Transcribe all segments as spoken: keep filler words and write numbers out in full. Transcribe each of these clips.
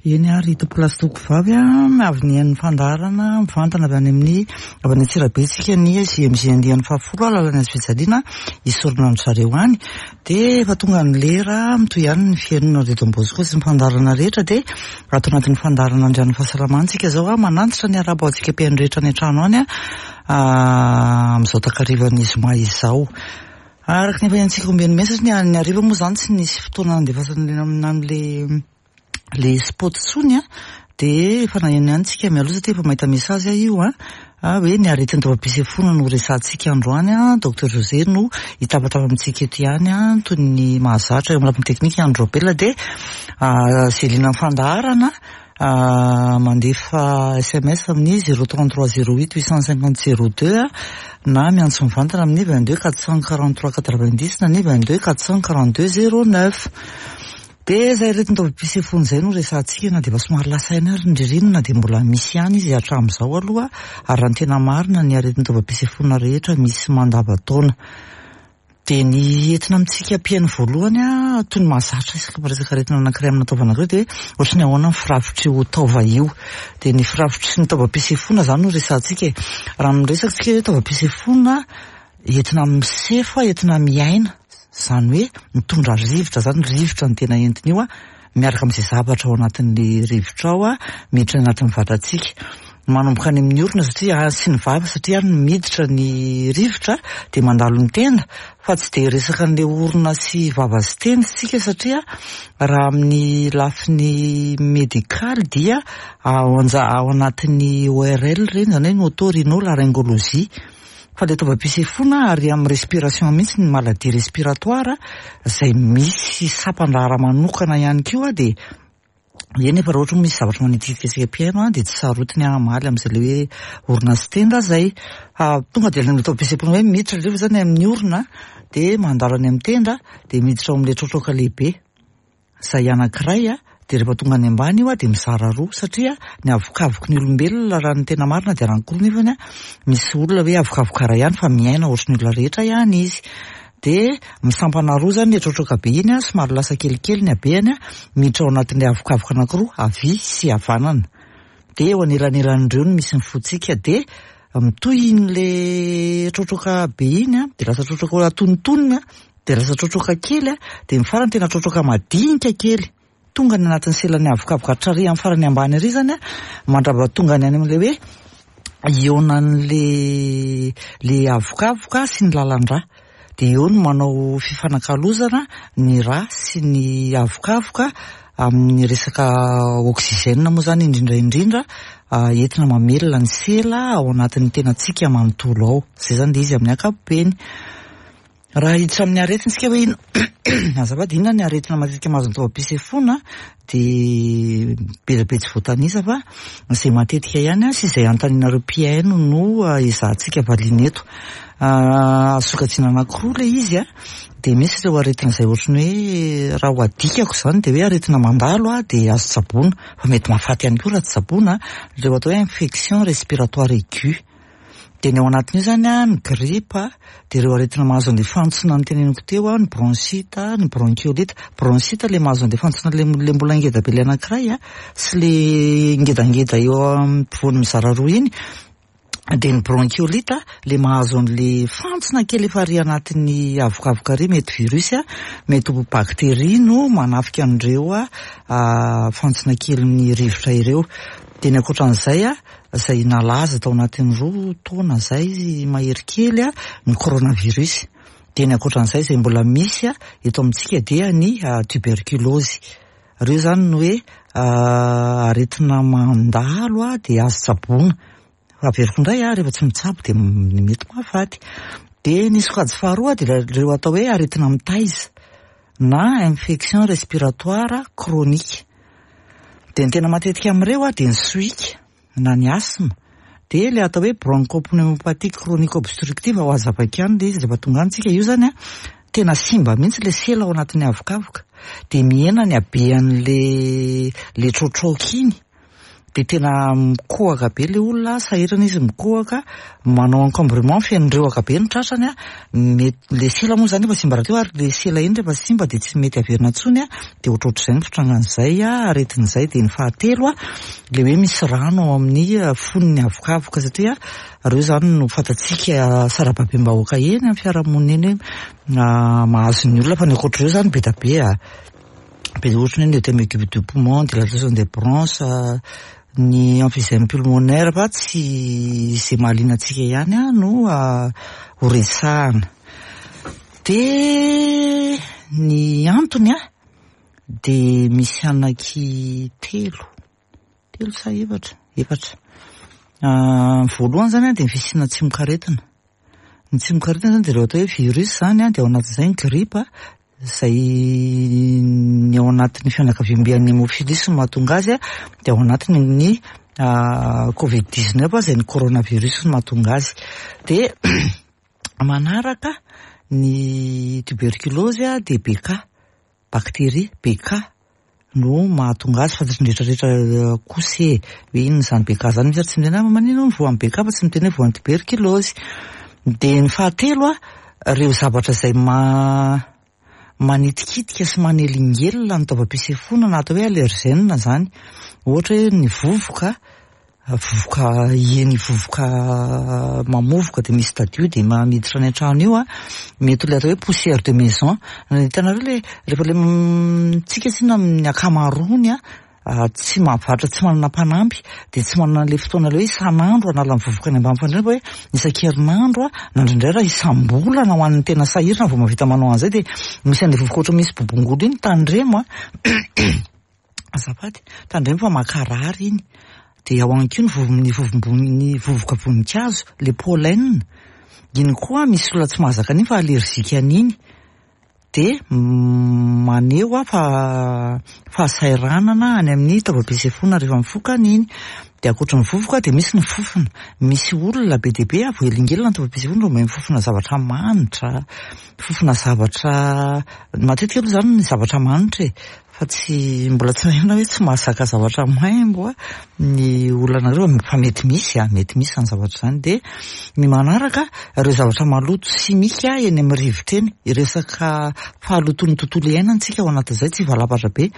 Eny ary, tompokolahy sy tompokovavy a, avy nihaino ny fandaharana mivantana avy any amin'ny avy any Antsirabe isika ny J M J andiany fahafolo alalan'ny hazo fijaliana, isorona an-dry zareo any. Dia efa tonga ny lera, mitohy ihany ny fihainoana Radio Don Bosco sy ny fandaharana rehetra. Dia ato anatin'ny fandaharana Andrian'ny Fahasalamana tsika zao a, manantitra ny araba ho antsika mpihaino rehetra any an-trano any a, amin'izao takarivan'ny zoma izao. Araka ny efa hiantsika ombeny mena, satria ny hariva moa zany tsy nisy fotoana nandefasana an'le le spot tsony a, de efa naheno ihany tsika mialoha, satria efa mahita message aho io a, hoe ny aretin'ny taovam-pisefoana no resahantsika androany a. Docteur José no hitabataba amintsika eto ihany a, toy ny mahazatra eo amin'ny lafiny teknika Androbela. De zelina ny fandaharana, mandefa S M S amin'ny zéro trente trois zéro huit huit cent cinquante zéro deux a, na miantso mivantana amin'ny vingt deux quatre cent quarante trois quatre vingt dix na ny vingt deux quatre cent quarante deux zéro neuf. De zay aretin'ny taovam-pisefoana izay no resahantsika, na de efa somary lasa aina ary ny ririnina, de mbola misy ihany izy hatramin'izao aloha. Ary raha ny tena marina, ny aretin'ny taovam-pisefoana rehetra misy mandava-taona. De ny entina amintsika mpihaino voalohany a, toy ny mahazatra isaka miresaka aretina anankiray amina taova anankiray, de ohatry ny ahoana ny firafitry io taova io. De ny firafitry ny taovam-pisefoana zany no resahantsika e. Raha miresaka tsika hoe taovam-pisefoana, entina misefo a, entina miaina, zany hoe mitondra rivotra zany. Rivotra ny tena entiny io a, miaraka amin'izay zavatra ao anatin'ny rivotra ao a, miditra anatin'ny vatantsika, manomboka any amin'ny orona satria sy ny vava, satria any miditra ny rivotra, de mandalo ny tenda. Fa tsy de resaka an'le orona sy vava sy tenda tsika, satria raha amin'ny lafiny médical dia ao anja ao anatin'ny O R L reny, zany hoe ny oto-rhino-laryngologie, fa le taovam-pisefoana ary amin'ny respiration mihitsy, ny maladie respiratoire zay misy sampan-draharaha manokana ihany koa. De eny, efa raha ohatra misy zavatra manitikitika antsika mpihaino a, de tsy sarotiny hamaly am'izay le hoe orona sy tenda zay. Tonga de le taovam-pisefoana hoe miditra rehefa zany amin'ny orona, de mandalo any amin'ny tenda, de miditra ao amin'le trotroka lehibe zay anankiray a. De rehefa tonga any ambany io a, de mizara roa, satria ny avokavoky ny olombelona raha ny tena marina de anankiroa, nefany a misy olona hoe avokavoka ray ihany fa miaina ohatry ny olona rehetra ihany izy. De misampana roa zany le trotroka be iny a, somary lasa kelikely ny habehany a, miditra ao anatin'le avokavoka anankiroa, havia sy havanana. De eo anelanelan'ireo no misy ny fotsika. De mitohy in'le trotroka be iny a, de lasa trotroka atonontonony a, de lasa trotroka kely a, de ny farany tena trotroka madinika kely, tonga ny anatin'ny selan'ny avokavoka hatrary amin'ny farany ambany ary zany a, mandrava tonga ny any amin'le hoe ionan'le le avokavoka sy ny lalan-drà. De eo no manao fifanakalozana ny rà sy ny avokavoka amin'ny resaka oxygène moa zany indrindra indrindra, entina mamelona ny sela ao anatin'ny tenantsika manontolo ao. Zay zany le izy amin'ny ankapobeny. Raha hiditra amin'ny aretina tsika hoe ino, azafady, inona ny aretina matetika mahazo ny taovam-pisefoana, de be dia be tsy voatanisa, fa izay matetika ihany a sy izay anontanianareo mpihaino no ezahantsika valiana eto. Azo sokajiana anankiroa le izy a. De misy ireo aretina izay ohatry ny hoe, raha ho adikako zany, de hoe aretina mandalo a, de azo tsaboina fa mety mahafaty ihany koa raha tsy tsaboina, ireo atao hoe infection respiratoire aiguë. De ny ao anatin'io zany a, ny grippe, de ireo aretina mahazo an'le fantsona ny teneniko teo a, ny bronchite, ny bronchiolite. Bronchite le mahazo an'le fantsona le le mbola ngeda be le anankiray a, sy le ngedangeda eo ampovoany mizara roa iny. De ny bronchiolite le mahazo an'le fantsona kely efa ary anatin'ny avokavoka ary, mety virus a, mety ho bactérie no manafika an'ireo a fantsona kely ny rivotra ireo. De ny ankoatran'izay a, zay nalaza tao anatin'ny roa taona zay mahery kely a, ny coronavirus. De ny ankoatran'izay zay mbola misy a eto amintsika dia ny tuberculose. Reo zany no hoe aretina mandalo a, de azo tsaboina. Averiko indray a, rehefa tsy mitsabo de mety mahafaty. De ny sokajy faharoa de reo atao hoe aretina mitaiza na infection respiratoire chronique. De ny tena matetika amin'ireo a, de ny sohika na ny asthme, de le atao hoe bronchopneumopathie chronique obstructive. Ho azavaiko ihany le izy rehefa tonga any tsika. Io zany a, tena simba mihitsy le sela ao anatin'ny avokavoka, de mihena ny habean'le le trotroka iny. de tena mikohaka be le olona, sahirana izy mikohaka, manao encombrement, feno rehoka be ny tratrany a, mety le sela moa zany efa simba rahateo, ary le sela iny rehefa simba de tsy mety averina intsony a, de ohatrohatr'izay ny fitrangan'izay a aretin'izay. De ny fahatelo a, le hoe misy rano ao amin'ny fonony avokavoka, satria reo zany no fantatsika sarababem-bahoaka eny amin'ny fiarahamonina eny hoe mahazo ny olona, fa ny ankoatr'ireo zany be da be a, be ohatra ny hoe œdème aigu du poumon, dilatation des bronches, ny emphysème pulmonaire, fa tsy zay mahaliana antsika ihany a no ho resahana. De ny antony a de misy anaky telo, telo sa efatra, efatra. Voalohany zany a de ny fisiana tsimokaretina. Ny tsimokaretina zany de reo atao hoe virus zany a, de ao anatin'izay ny gripa, zay ny ao anatin'ny fianakaviambe an'ny hémophilus no mahatonga azy a, de ao anatiny ny covid dix-neuf zay ny coronavirus no mahatonga azy. De manaraka ny tuberculose a, de B K, bactérie B K no mahatonga azy, fantatry ny rehetrarehetra kosa e hoe inona zany B K zany, misy ary tsy miteny hoe manino voan'ny B K fa tsy miteny hoe voan'ny tuberculose. De ny fahatelo a, reo zavatra zay ma manitikitika sy manelingelina ny taovam-pisefoana na atao hoe allergène zany, ohatra hoe ny vovoka, vovoka eny, vovoka mamovoka de misy tadio de miditra any an-trano io a, mety le atao hoe poussière de maison. Hitanareo le rehefa le tsika tsinona amin'ny ankamaroany a tsy mahavatra, tsy manana mpanampy, de tsy manana an'le fotoana le hoe isan'andro hanala ny vovoka any ambany fandriana, fa hoe isan-kerinandro a, na indraindray raha isam-bolana ho an'ny tena sahirana vao mahavita manao an'izay, de misy an'le vovoka ohatra misy bobongolo iny, tandremo a, azafady, tandremo fa makarary iny. De ao ihany koa ny vovo, ny vovombony, ny vovoka voninkazo, le pollen iny koa misy olona tsy mahazaka an'iny fa allergique an'iny, de maneho a fa fahasahiranana any amin'ny taovam-pisefoana rehefa mifoka an'iny. De ankoatra ny vovoka de misy ny fofona, misy olona be dia be a voahelingelina ny taovam-pisefoana vao mahay mifofona zavatra manitra, fofona zavatra matetika aloha zany ny zavatra manitra e, fa tsy mbola tsy naheno hoe tsy mahazaka zavatra maimbo a ny olona anareo, fa mety misy a, mety misy zany zavatra zany. De ny manaraka, ireo zavatra maloto simika eny amin'ny rivotra eny, resaka fahalotoan'ny tontolo iainana tsika ao anatin'izay, tsy valapatra be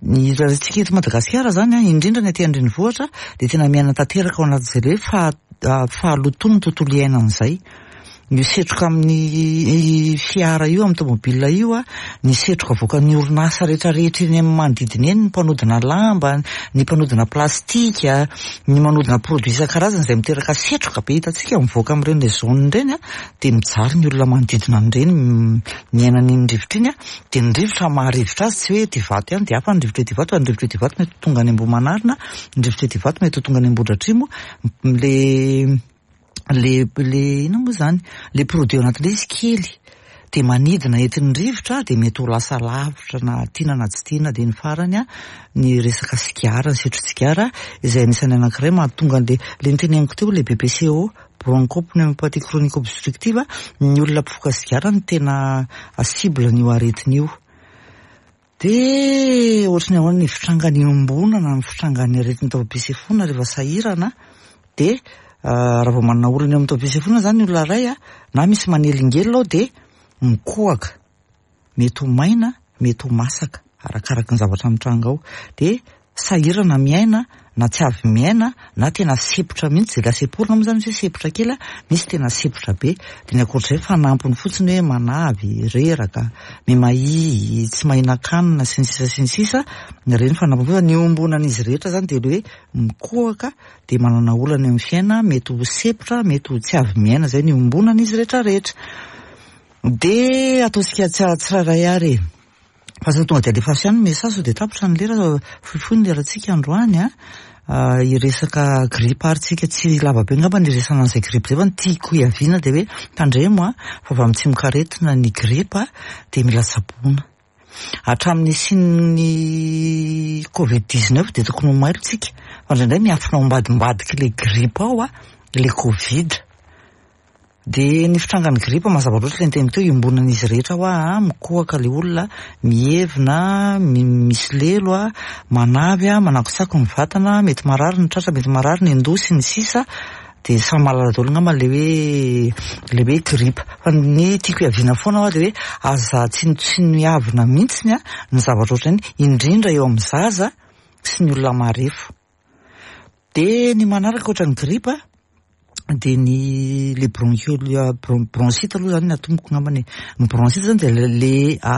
ny ratsika eto Madagasikara zany a, indrindra ny aty an-drenivohitra, de tena miaina tanteraka ao anatin'izay le hoe faha fahalotoan'ny tontolo iainana izay. Ny setroka amin'ny fiara io, amin'ny tomobile io a, ny setroka avoakan'ny orinasa rehetrarehetra eny amin'ny manodidina eny, ny mpanodina lamba, ny mpanodina plastika, ny manodina produit isan-karazany izay miteraka setroka be hitantsika mivoaka amin'ireny le zone ireny a, de mijaly ny olona manodidina an'ireny miaina an'iny rivotra iny a. De ny rivotra maharivotra azy tsy hoe ety Ivato ihany de hafa ny rivotra ety Ivato, fa ny rivotra ety Ivato mety ho tonga any Ambohimanarina, ny rivotra ety Ivato mety ho tonga any Ambohidratrimo, le le le inona moa zany, le produit ao anatin'ilay izy kely de manidina entin'ny rivotra, de mety ho lasa lavitra na tiana na tsy tiana. De ny farany a, ny resaka sigara, ny setro-tsigara izay anisan'ny anankiray mahatonga an'le le niteneniko teo, le B P C O, bronchopneumopathie chronique obstructive, ny olona mpifoka sigara no tena cible n'io aretina io. De ohatry ny ahoana ny fitrangan'ny iombonana, ny fitrangan'ny aretin'ny taovam-pisefoana rehefa sahirana? De raha vao manana olana eo amin'ny taovam-pisefoana zany ny olona iray a, na misy manelingelina ao, de mikohaka, mety ho maina, mety ho masaka, arakaraky ny zavatra mitranga ao, de sahirana miaina na tsy avy miaina na tena sepotra mihitsy. Zay laseporina moa zany misy hoe sepotra kely a, misy tena sepotra be. De ny ankoatr'izay fanampiny fotsiny hoe manavy, reraka, mimahia, tsy mahinan-kanina sy ny sisa sy ny sisa reny fanampiny fotsiny. Ny iombonan'izy rehetra zany de le hoe mikohaka, de manana olana eo amin'ny fiaina, mety ho sepotra, mety ho tsy avy miaina, zay ny iombonan'izy rehetrarehetra. De ataontsika tsirairay ary e, fa tsy tonga de alefaso ihany message sao de tapitra ny lera, fohifohy ny lerantsika androany a. Hiresaka gripa ary tsika, tsy lava be angamba ny iresahana an'izay gripa zay, fa ny tiako hiaviana de hoe tandremo a, fa avy amin'ny tsimokaretina ny gripa, de mila tsaboina. Hatramin'ny nisian'ny covid dix-neuf de tokony ho mailo tsika, fa indraindray miafina ao ambadimbadiky le gripa ao a le covid. De ny fitrangan'ny gripa mazava loatra ilay niteniko teo, iombonan'izy rehetra hoa, mikohaka ilay olona, mihevina, misy lelo a, manavy a, manakotsako ny vatana, mety marary ny tratra, mety marary ny andoha sy ny sisa. De samy mahalala daholo angamba le hoe le hoe gripa. Fa ny tiako hiaviana foana hoa de hoe aza tsinontsinoiavina mihitsiny a ny zavatra ohatrany, indrindra eo amin'ny zaza sy ny olona marefo. De ny manaraka ohatran'ny gripa de ny le bronchiole, bronchite aloha zany ny atomboko angambany. Ny bronchite zany de le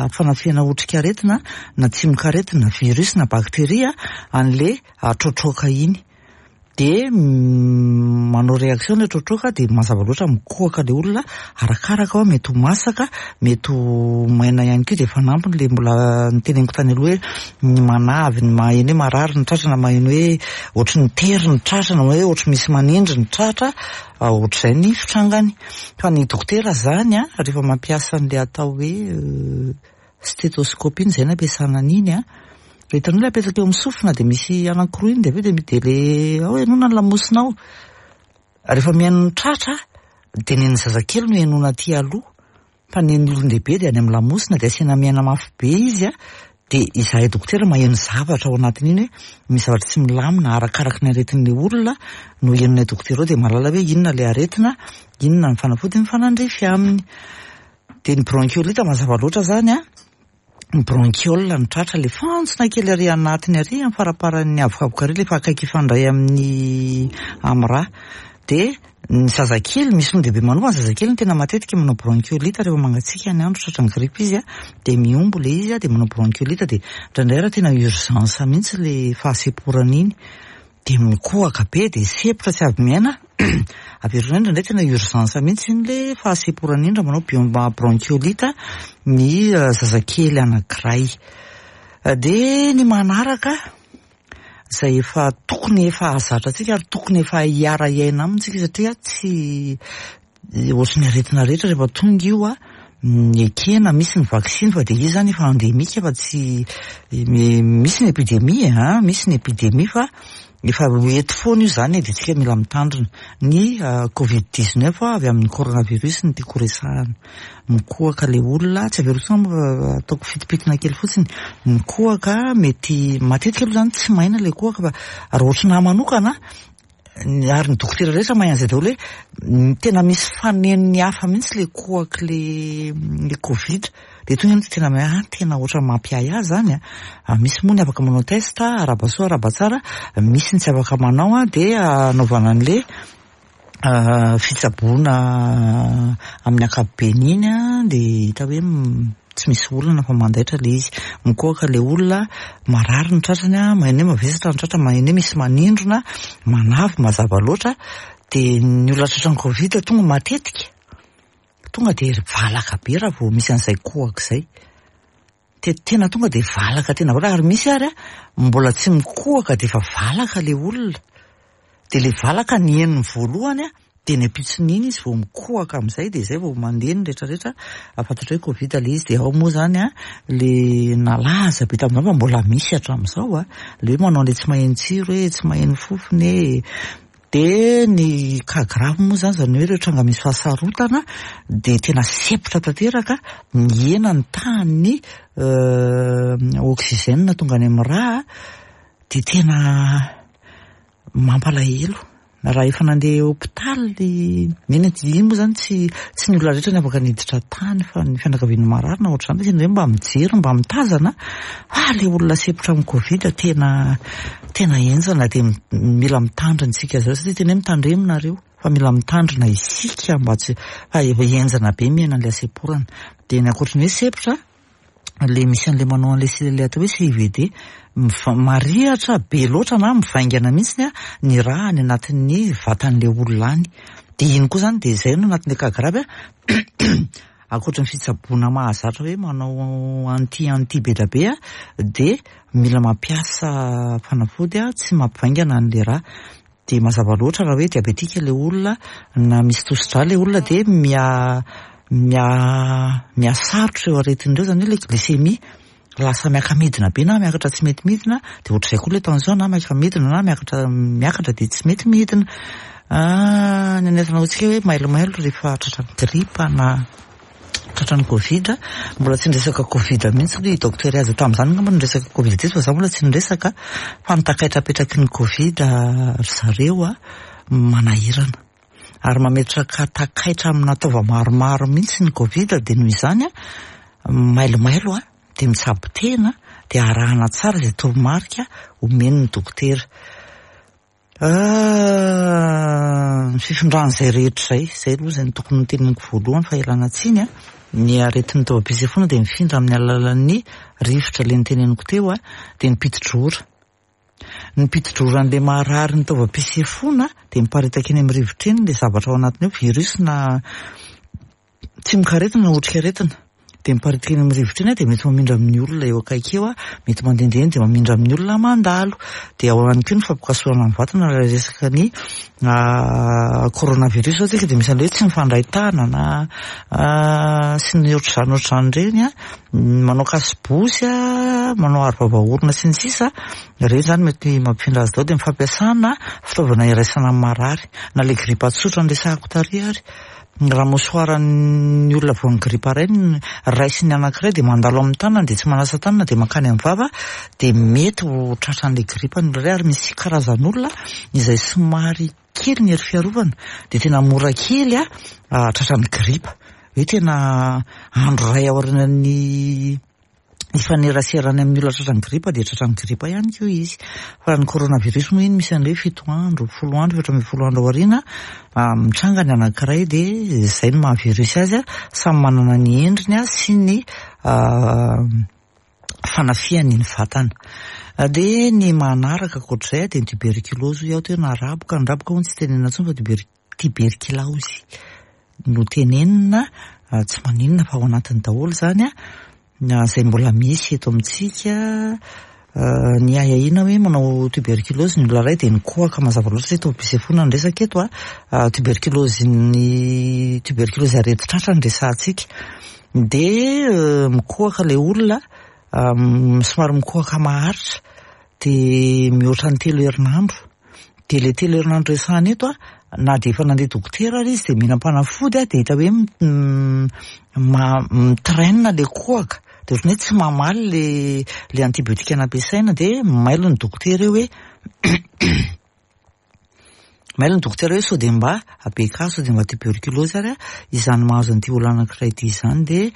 fanafihana otrikaretina na tsimokaretina, virus na bakteria an'le trotroka iny. De manao réaction le trotroka, de mazava loatra mikohaka le olona, arakaraka hoa mety ho masaka, mety ho maina ihany koa. De fanampiny le mbola niteneniko tany aloha hoe ny manavy, ny maheno hoe marary ny tratra, na maheno hoe ohatry ny tery ny tratra, na hoe ohatry misy manindry ny tratra, ohatr'izay ny fitrangany. Fa ny dokotera zany a, rehefa mampiasa an'le atao hoe stéthoscope iny, zay no ampiasana an'iny a, hitanao le apetraka eo amin'ny sofina de misy anankiroa iny, de avy eo de de le ao henoina ny lamosina ao. Rehefa mihaino ny tratra de nen'ny zazakely no henoina aty aloha, fa nen'ny olon-dehibe de any amin'ny lamosina, de asiana miaina mafy be izy a, de izahay dokotera maheno zavatra ao anatin'iny hoe misy zavatra tsy milamina. Arakaraky ny aretin'le olona no henonay dokotera ao, de mahalala hoe inona le aretina, inona ny fanafody mifanandrify aminy. De ny bronchiolite mazava loatra zany a, ny bronchiole ny tratra, le fantsona kely ary anatiny ary amin'ny faraparan'ny avokavoka ary, le fa akaiky hifandray amin'ny amin'ny rà. De ny zazakely, misy olon-dehibe manova, ny zazakely no tena matetika manao bronchiolite rehefa mangatsiaka ny andro, tratran'ny gripa izy a, de mihombo le izy a, de manao bronchiolite. De indraindray raha tena urgence mihitsy le fahasemporana iny, de mikohaka be, de sempotra tsy avy miaina. Averina indraindray tena urgence mihitsy iny le fahasemporana iny raha manao bronchiolite ny zazakely anankiray. De ny manaraka zay efa tokony efa ahazatra antsika ary tokony efa hiara-hiaina aminy tsika, satria tsy ohatry ny aretina rehetra rehefa tonga io a, ekena misy ny vaksiny, fa de izy zany efa endémique, fa tsy misy ny épidémie a, misy ny épidémie fa efa eto foana io zany, de tsika mila mitandrina. Ny covid dix-neuf avy amin'ny coronavirus no tiako resahana. Mikohaka le olona, tsy averiko intsony, ataoko fitipitina kely fotsiny. Mikohaka, mety matetika aloha zany tsy maina le kohaka, fa raha ohatry nahy manokana ary ny dokotera rehetra mahay an'izay daholo hoe tena misy fanenony hafa mihitsy le kohaky le le covid. De tonga iny tena ah tena ohatra mampiahy ahy zany a. Misy moa ny afaka manao test, arahaba soa arahaba tsara, misy ny tsy afaka manao a, de anaovana an'le fitsaboana amin'ny ankapobeny iny a, de hita hoe tsy misy olana fa mandaitra le izy. Mikohaka le olona, marary ny tratrany a, maheno hoe mavesatra ny tratra, maheno hoe misy manindrona, manavy mazava loatra. De ny olona tratran'ny covid tonga matetika tonga de valaka be raha vao misy an'izay kohaka izay, de tena tonga de valaka, tena valaka. Ary misy ary a mbola tsy mikohaka de efa valaka le olona, de le valaka ny henony voalohany a, de ny ampitson'iny izy vao mikohaka amin'izay, de zay vao mandeha ny rehetrarehetra afantatra hoe covid le izy. De ao moa zany a le nalaza be tamin'izany, fa mbola misy hatramin'izao a, le hoe manao le tsy maheno tsiro hoe tsy maheno fofony e. De ny cas grave moa zany, zany hoe ireo tranga misy fahasarotana, de tena sempotra tanteraka, mihena ny tahan'ny oxygène tonga any amin'ny rà, de tena mampalahelo. Raha efa nandeha hôpitaly eny, iny moa zany tsy tsy ny olona rehetra ny afaka niditra tany, fa ny fianakavian'ny marary na ohatr'izany hoe mba mijery, mba mitazana. Fa le olona sempotra amin'ny covid tena tena henjana, de mila mitandrina isika zao, satria tena hoe mitandremo nareo fa mila mitandrina isika mba tsy fa efa henjana be miaina an'le hasemporana. De ny ankoatry ny hoe sempotra, le misy an'le manao an'le le atao hoe C I V D, marihatra be loatra na mivaingana mihitsy a ny rà any anatin'ny vatan'le olona any. De iny koa zany de zay no anatin'le cas grave a, ankoatry ny fitsaboana mahazatra hoe manao anti anti be da be a, de mila mampiasa fanafody a tsy mampivaingana an'le rà. De mazava loatra raha hoe diabetika le olona na misy tosi-drà le olona, de mia mia mihasarotra eo aretin'ireo, zany hoe le glycémie lasa miaka-midina be na miakatra tsy mety midina, de ohatr'izay koa le tension na miaka-midina na miakatra miakatra de tsy mety midina. Ny aretina hoantsika hoe mailomailo rehefa tratran'ny gripa na tratran'ny Covid. Mbola tsy niresaka Covid mihitsy aloha i docteur Aza tamin'izany angamba niresaka Covid teto, fa za mbola tsy niresaka, fa ny takaitra apetraky ny Covid ry zareo a manahirana ary mametraka takaitra amina taova maromaro mihitsy ny Covid. Dia noho izany a mailomailo a dia mitsabo tena, dia arahana tsara izay toromarika omen'ny dokotera. Ny fifindran'izay rehetra izay, izay aloha izay no tokony noteneniko voalohany fa ialana tsiny a. Ny aretin'ny taovam-pisefoana dia mifindra amin'ny alalan'ny rivotra ilay noteneniko teo a, dia ny piti-drora. Ny piti-droran'ilay marary ny taovam-pisefoana dia miparitaka eny amin'ny rivotra eny ilay zavatra ao anatiny ao, virus na tsimokaretina na otrikaretina. Dia miparitaka eny amin'ny rivotra eny, dia mety mamindra amin'ny olona eo akaiky eo, mety mandehandeha eny dia mamindra amin'ny olona mandalo. Dia ao ihany koa ny fampikasohana ny vatana raha resaka ny coronavirus zao tsika, dia misy an'ilay hoe tsy mifandray tanana sy ny ohatr'izany ohatr'izany ireny a, manao kasibosy a, manao aro vava orona sy ny sisa. Ireny izany mety mampifindra azy daholo. Dia ny fampiasana fitaovana iraisana amin'ny marary na ilay gripa tsotra noresahako tary ary. Raha mosoaran'ny olona voan'ny gripa iray raisin'ny anankiray dia mandalo amin'ny tanana, dia tsy manasa tanana dia mankany amin'ny vava, dia mety ho tratran'ilay gripa ny olona iray. Ary misy karazan'olona izay somary kely ny hery fiarovana dia tena mora kely a tratran'ny gripa, hoe tena andro iray aorianan'ny ifaneraserany amin'ny olona tratran'ny gripa dia tratran'ny gripa ihany koa izy. Fa ny coronavirus moa iny misy an'ilay hoe fito andro, folo andro, efatra ambin'ny folo andro aoriana mitranga ny anankiray, dia izay no maha virus azy. Samy manana ny endriny sy ny fanafihany ny vatana. Dia ny manaraka ankoatr'izay dia ny tuberculose hoy aho teo, na raboka. Ny raboka moa tsy tenenina intsony fa tuber- tuberculose no tenenina, tsy maninona fa ao anatiny daholo izany a. Izay mbola misy eto amintsika ny ahiahiana hoe manao tuberculose ny olona iray dia nikohaka mazava loatra satria taovam-pisefoana ny resaka eto a. Tuberculose, ny tuberculose aretin-tratra no resahantsika, dia mikohaka ilay olona, somary mikohaka maharitra dia mihoatra ny telo herinandro. Dia ilay telo herinandro resahana eto a, na dia efa nandeha dokotera ary izy dia mihinam-panafody a, dia hita hoe mitraîne ilay kohaka, dia ohatran'ny hoe tsy mamaly le le antibiotika nampiasaina, dia mailo ny dokotera eo hoe mailo ny dokotera hoe sao dia mba A B K, sao dia mba tuberculose ary izany mahazo an'ity olona anankiray ity izany. Dia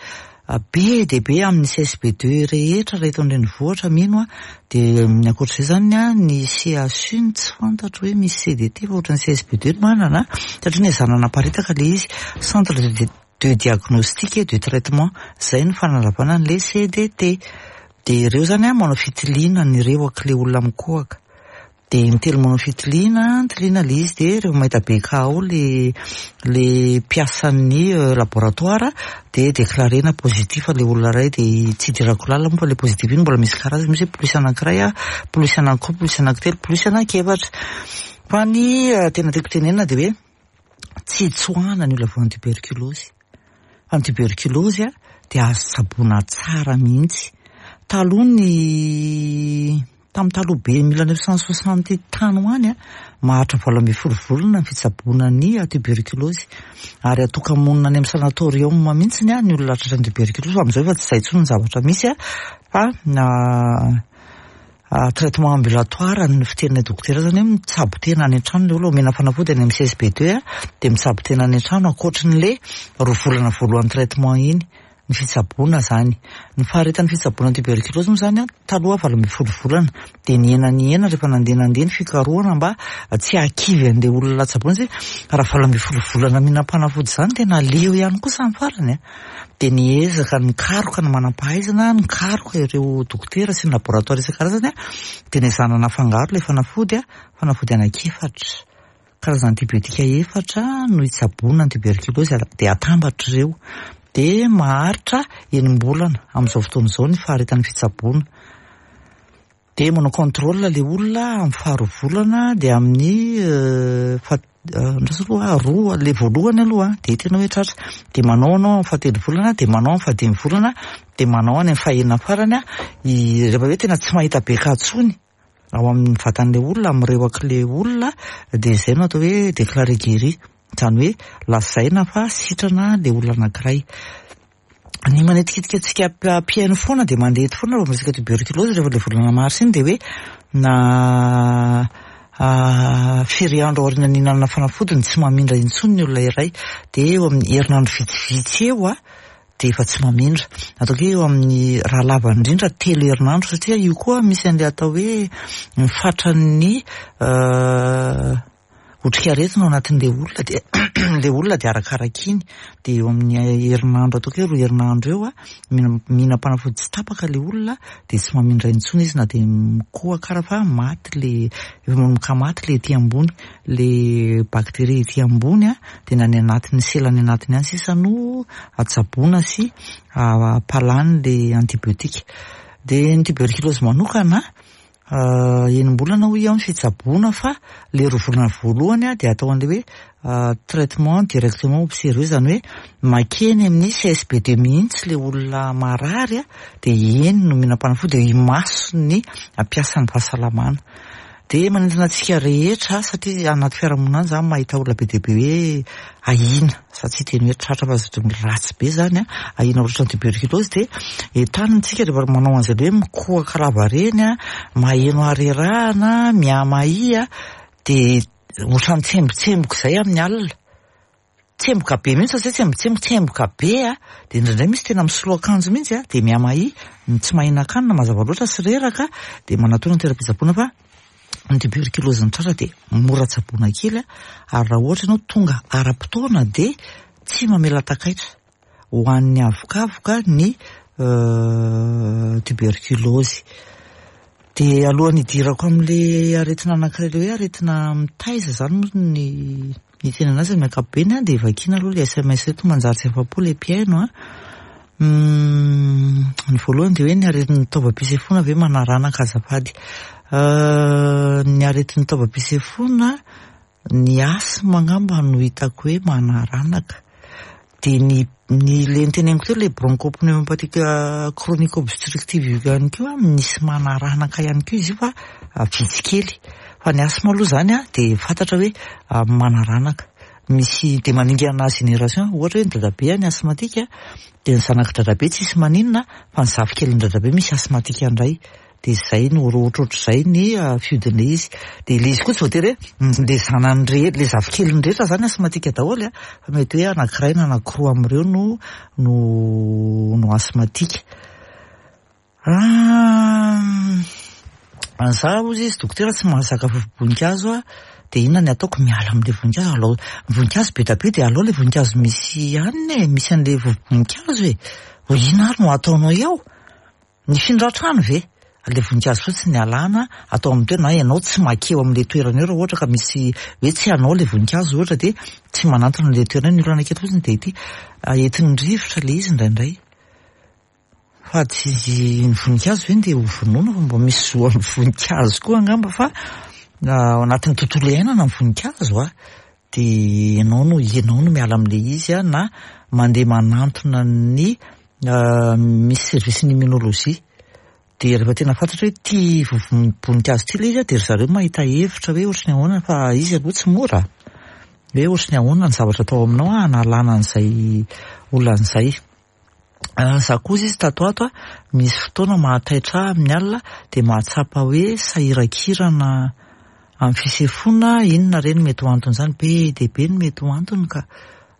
be dia be amin'ny C S B deux rehetra raha eto an-drenivohitra mino a. Dia ny ankoatr'izay zany a, ny C H U ny tsy fantatro hoe misy C D T, fa ohatran'ny C S B deux no manana, satria ny ezahana naparitaka le izy, centre de de diagnostic et de traitement zay ny fanalavana an'le C D T. Dia ireo zany a manao fitiliana an'ireo ak'le olona mikohaka, dia mitelo manao fitiliana, tiliana le izy, dia rehefa mahita B K ao le le mpiasan'ny laboratoire dia déclarena positif le olona iray. Dia tsy idirako lalina moa fa le positif iny mbola misy karazany, misy hoe plus anankiray a, plus anankiroa, plus anankitelo, plus anankiefatra. Fa ny tena tiako tenenina dia hoe tsy tsoahana ny olona voan'ny tuberculose, fa ny tuberculose a dia azo tsaboina tsara mihitsy. Taloha, ny tamin'ny taloha be, mille neuf cent soixante tany ho any a, maharitra valo ambin'ny folo volana ny fitsaboana ny tuberculose, ary atoka-monina any amin'ny sanatorium mihitsy a ny olona tratran'ny tuberculose. Fa amin'izao efa tsy izay intsony ny zavatra misy a, fa traitement ambulatoire ny fiteninay dokotera zany, hoe mitsabo tena any an-trano le olona, omena fanafody any amin'ny C S B deux a, dia mitsabo tena any an-trano ankoatrin'le roa volana voalohan'ny traitement iny ny fitsaboana zany. Ny faharetan'ny fitsaboana tuberculose moa zany a, taloha valo ambin'ny folo volana, dia nihena nihena rehefa nandeha nandeha ny fikarohana mba tsy hahakivy an'le olona tsaboina, satria raha valo ambin'ny folo volana mihinam-panafody zany tena leo ihany koa samy farany a. Dia niezaka nikaroka ny manam-pahaizana, nikaroka ireo dokotera sy ny laboratoire isan-karazany a, dia nezahana nafangaro ilay fanafody a, fanafody anankiefatra, karazana antibiotika efatra no hitsaboana ny tuberculose, dia atambatra ireo, dia maharitra enim-bolana amin'izao fotoana izao ny faharetan'ny fitsaboana. Dia manao contrôle le olona amin'ny faharoa volana, dia amin'ny fa ndraso aloha, roa le voalohany aloha dia tena hoe tratra, dia manao anao amin'ny fahatelo volana, dia manao amin'ny fahadimy volana, dia manao any amin'ny fahenina farany a, rehefa hoe tena tsy mahita B K intsony. ao amin'ny vatan'ilay olona, amin'ny rewak'ilay olona, dia izay no atao hoe déclaré guéri, izany hoe lazaina fa sitrana ilay olona anankiray. Ny manetikitika antsika mpihaino foana dia mandeha eto foana rehefa miresaka tuberculose rehefa ilay volana marsa iny dia hoe na firy andro aorian'ny nihinanana fanafody no tsy mamindra intsony ny olona iray, dia eo amin'ny herinandro vitsivitsy eo a dia efa tsy mamindra. Ataoko hoe eo amin'ny raha lava indrindra telo herinandro, satria io koa misy an'ilay atao hoe ny fatran'ny otrikaretina ao anatin'ilay olona, dia ilay olona dia arakaraka iny, dia eo amin'ny herinandro, ataoko hoe roa herinandro eo a, mihinam-panafody tsy tapaka ilay olona dia tsy mamindra intsony izy na dia mikohaka ara fa maty le, efa manomboka maty le ety ambony, le bakteria ety ambony a, dia na ny anatin'ny sela any anatiny any sisa no atsaboana sy ampalany le antibiotika. Dia ny tuberculose manokana enim-bolana hoy aho ny fitsaboana, fa le roa volana voalohany dia atao an'ilay hoe traitement directement observé, izany hoe makeny amin'ny C S B D mihitsy le olona marary a, dia eny no mihinam-panafody, dia imasony ampiasan'ny fahasalamana. Dia manentana antsika rehetra, satria anaty fiarahamonina any zany mahita olona be dia be hoe ahiana, za tsy hiteny hoe tratra fa zatra ratsy be zany a, ahiana ohatran'ny tuberculose, dia entanina antsika rehefa manao an'izay hoe mikohaka lavareny a, maheno harerahana, mihamahia, dia ohatran'ny tsembotsemboka izay amin'ny alina. Tsemboka be mihitsy, satria tsembotsemboka, tsemboka be a, dia indraindray misy tena misolo akanjo mihitsy a, dia mihamahia, tsy mahinan-kanina mazava loatra sy reraka, dia manatona ny toeram-pitsaboana fa ny tuberculose ny tratra dia mora tsaboina kely a, ary raha ohatra ianao tonga ara-potoana dia tsy mamela takaitra ho an'ny avokavoka ny tuberculose. Dia alohan'ny hidirako amin'ilay aretina anankiray, ilay hoe aretina mitaiza izany moa ny ny tena anazy amin'ny ankapobeny a, dia vakiana aloha ilay S M S eto manjary tsy afa-po ilay mpihaino a. Ny voalohany dia hoe ny aretin'ny taovam-pisefoana ve manaranaka azafady. Ny aretin'ny taovam-pisefoana, ny asthme angamba no hitako hoe manaranaka. Dia ny, ny le niteneniko teo, le bronchopneumopathie chronique obstructive io ihany koa, misy manaranaka ihany koa izy io fa vitsy kely. Fa ny asthme aloha izany a, dia fantatra hoe manaranaka. Misy dia maningana génération, ohatra hoe ny dadabe ny asthmatique, dia ny zanak'i dadabe tsisy maninona, fa ny zafikelin'ny dadabe misy asthmatique indray. Dia izay no ohatrohatr'izay ny fiodin'ilay izy. Dia ilay izy koa tsy voatery hoe le zanany rehetra, le zafikeliny rehetra zany asthmatique daholo a, fa mety hoe anankiray na anankiroa amin'ireo no, no, no asthmatique. Za hozy izy dokotera tsy mahazaka vovo-boninkazo a, dia inona ny ataoko? Miala amin'ilay voninkazo, alao voninkazo be dia be dia alao ilay voninkazo misy hanina e, misy an'ilay vovo-boninkazo e. Ho inona ary no ataonao eo? Ny findra-trano ve? Ilay voninkazo fotsiny alana atao amin'ny toerana, na ianao tsy makeo amin'ilay toerana eo raha ohatra ka misy hoe tsy anao ilay voninkazo ohatra, dia tsy manantona ilay toerana eo. Ny olana kely fotsiny dia ity entin'ny rivotra ilay izy indraindray. Fa tsy ny voninkazo ve dia ho vonoina, fa mba misy zo amin'ny voninkazo koa angamba, fa ao anatin'ny tontolo iainana ny voninkazo a, dia ianao no, ianao no miala amin'ilay izy a, na mandeha manantona ny misy service ny immunologie. Dia rehefa tena fantatra hoe ity vovo-boninkazo ity ilay izy a, dia ry zareo mahita hevitra hoe ohatry ny ahoana, fa izy aloha tsy mora, hoe ohatry ny ahoana ny zavatra atao aminao a, hanalana an'izay olana izay. Za koa izy tato ato a, misy fotoana mahataitra ahy amin'ny alina, dia mahatsapa hoe sahirakirana amin'ny fisefoana, inona re no mety ho antony izany? Be dia be no mety ho antony ka,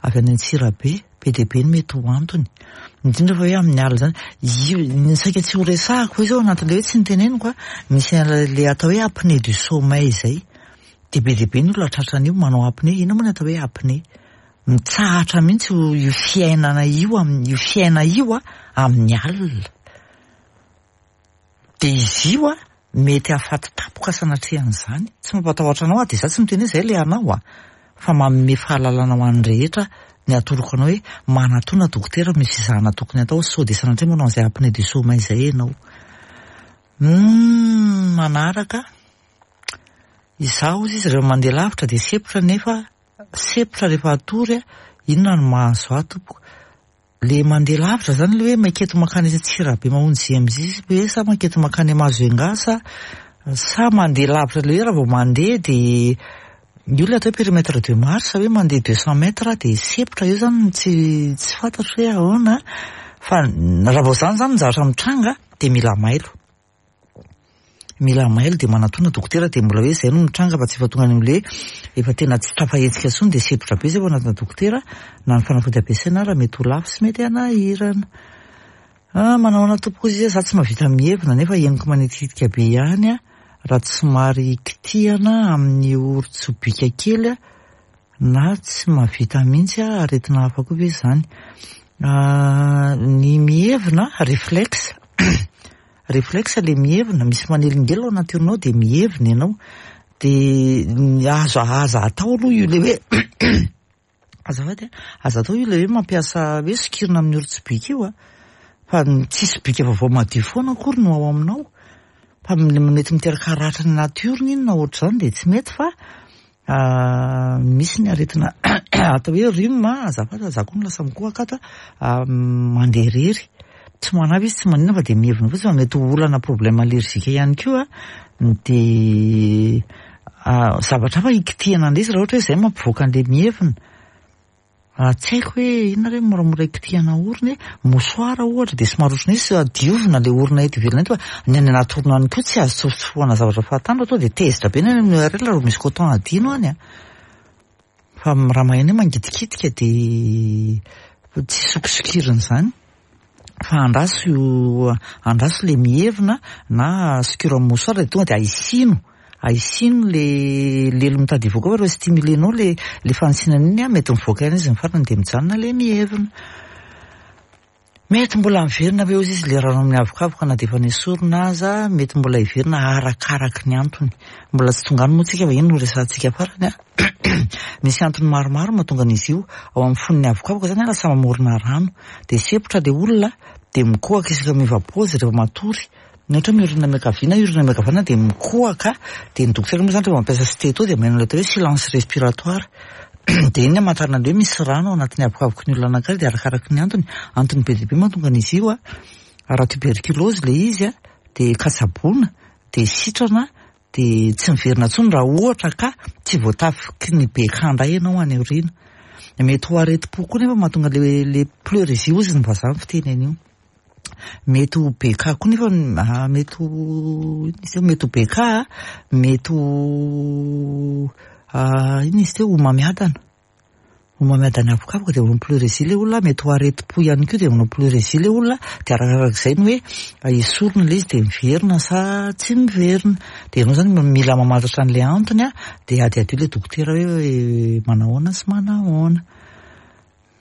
avy any Antsirabe, be dia be no mety ho antony. Indrindra fa hoe amin'ny alina izany, io, ny saika tsy ho resahako hoe zao anatin'ilay hoe tsy niteneniko a, misy an'ilay atao hoe apnée du sommeil izay. Dia be dia be ny olona tratran'io manao apnée. Inona moa ny atao hoe apnée? Mitsahatra mihitsy io, io fiainana io amin'ny, io fiaina io a, amin'ny alina. Dia izy io a, mety hahafaty tampoka sanatria an'izany. Tsy mampatahotra anao a, dia za tsy miteny hoe izay ilay anao a, fa manome fahalalana ho an'ny rehetra ny atoroko anao hoe manatona dokotera, misy fizahana tokony atao, sao dia sanatria manao an'izay apnée du sommeil izay ianao. Hmm, manaraka. Izaho hozy izy rehefa mandeha lavitra dia sepotra, nefa sepotra rehefa atory a, inona no mahazo ahy tompoko? Le mandeha lavitra zany le hoe maketo makany Antsirabe mamonjy Z M J hoe sa maketo makany Mahajanga sa Sa mandeha lavitra le hoe raha vao mandeha dia io ilay atao hoe périmètre de marche, hoe mandeha deux cent mètres dia sempotra eo zany, tsy tsy fantatro hoe ahoana, fa raha vao zany zany ny zavatra mitranga dia mila mailo. Mila mailo dia manatona dokotera, dia mbola hoe izay no mitranga fa tsy efa tonga any amin'ilay efa tena tsy tafahetsika intsony dia sempotra be izay vao manatona dokotera, na ny fanafody ampiasaina ary mety ho lafo sy mety hanahirana. Ah, manao ahoana tompoko izy, za tsy mahavita mihevina nefa henoko manitikitika be ihany a, raha tsy somary kitihana amin'ny oron-tsobika kely na tsy mahavita mihitsy a, aretina hafa koa ve izany? Ny mihevina, réflexe, réflexe le mihevina, misy manelingelina ao anaty orinao dia mihevina ianao, dia azo aza atao aloha io le hoe azafady a, aza atao io le hoe mampiasa hoe sokirina amin'ny oron-tsobika io a, fa tsy sobika vaovao madio foana akory no ao aminao, fa mety miteraka ratra ny anaty orona iny na ohatr'izany dia tsy mety, fa misy ny aretina atao hoe rhume, azafady za koa no lasa mikohaka ato a, mandeha irery, tsy manavy izy tsy maninona fa dia mihevina fotsiny, fa mety ho olana problème allergique ihany koa, dia zavatra hafa hikitihana an'ilay izy raha ohatra hoe izay mampivoaka an'ilay mihevina. Tsy haiko hoe inona re moramora hikitihana orona e, mouchoir ohatra dia somary ohatran'ny hoe diovina ilay orona eto ivelany eto, fa ny any anaty orona any koa tsy azo tsofotsofohana zavatra fahatany fa tonga dia tezitra be ny any amin'ny U R L raha misy coton adino any a. Fa raha maheno hoe mangitikitika dia tsy sokisokirina izany, fa andraso andraso le mihevina na sokiro amin'ny mouchoir dia tonga dia ahisino, ahisino le lelo mitady hivoaka, fa rehefa stimulenao le le fanisinana iny a, mety mivoaka ihany izy ny farany dia mijanona le mihevina. Mety mbola miverina ve ozy izy le rano amin'ny avokavoka na dia efa nesorina aza, mety mbola hiverina arakaraky ny antony. Mbola tsy tonga any moa tsika fa iny no resahantsika farany a. Misy antony maromaro mahatonga an'izy io. Ao amin'ny fon'ny avokavoka zany lasa mamorona rano, dia sempotra le olona dia mikohaka isaka miova paozy rehefa matory. Ny ohatra hoe miorina miankavia na miorina miankavanana dia mikohaka, dia ny dokotera moa zany rehefa mampiasa stétho dia manao atao hoe silence respiratoire. Dia iny amantarana hoe misy rano ao anatin'ny avokavoky ny olona anankiray, dia arakaraky ny antony. Antony be dia be mahatonga an'izy io a. Raha tuberculose le izy a, dia katsaboana, dia sitrana, dia tsy miverina intsony raha ohatra ka tsy voatafiky ny B K indray ianao any aoriana. Mety ho aretim-po koa nefa mahatonga le, le pleurésie hozy ny vazaha ny fiteny an'io. Mety ho B K koa nefa, ah, mety ho, inona izy teo? Mety ho B K, mety ho, ah, inona izy teo? Homamiadana. Homamiadana avokavoka dia manao pleurésie le olona, mety ho aretim-po ihany koa dia manao pleurésie le olona, dia arakarak'izay ny hoe esorina ilay izy dia miverina sa tsy miverina. Dia ianao zany mila mamantatra an'ilay antony a, dia adiadio ilay dokotera hoe manahoana sy manahoana.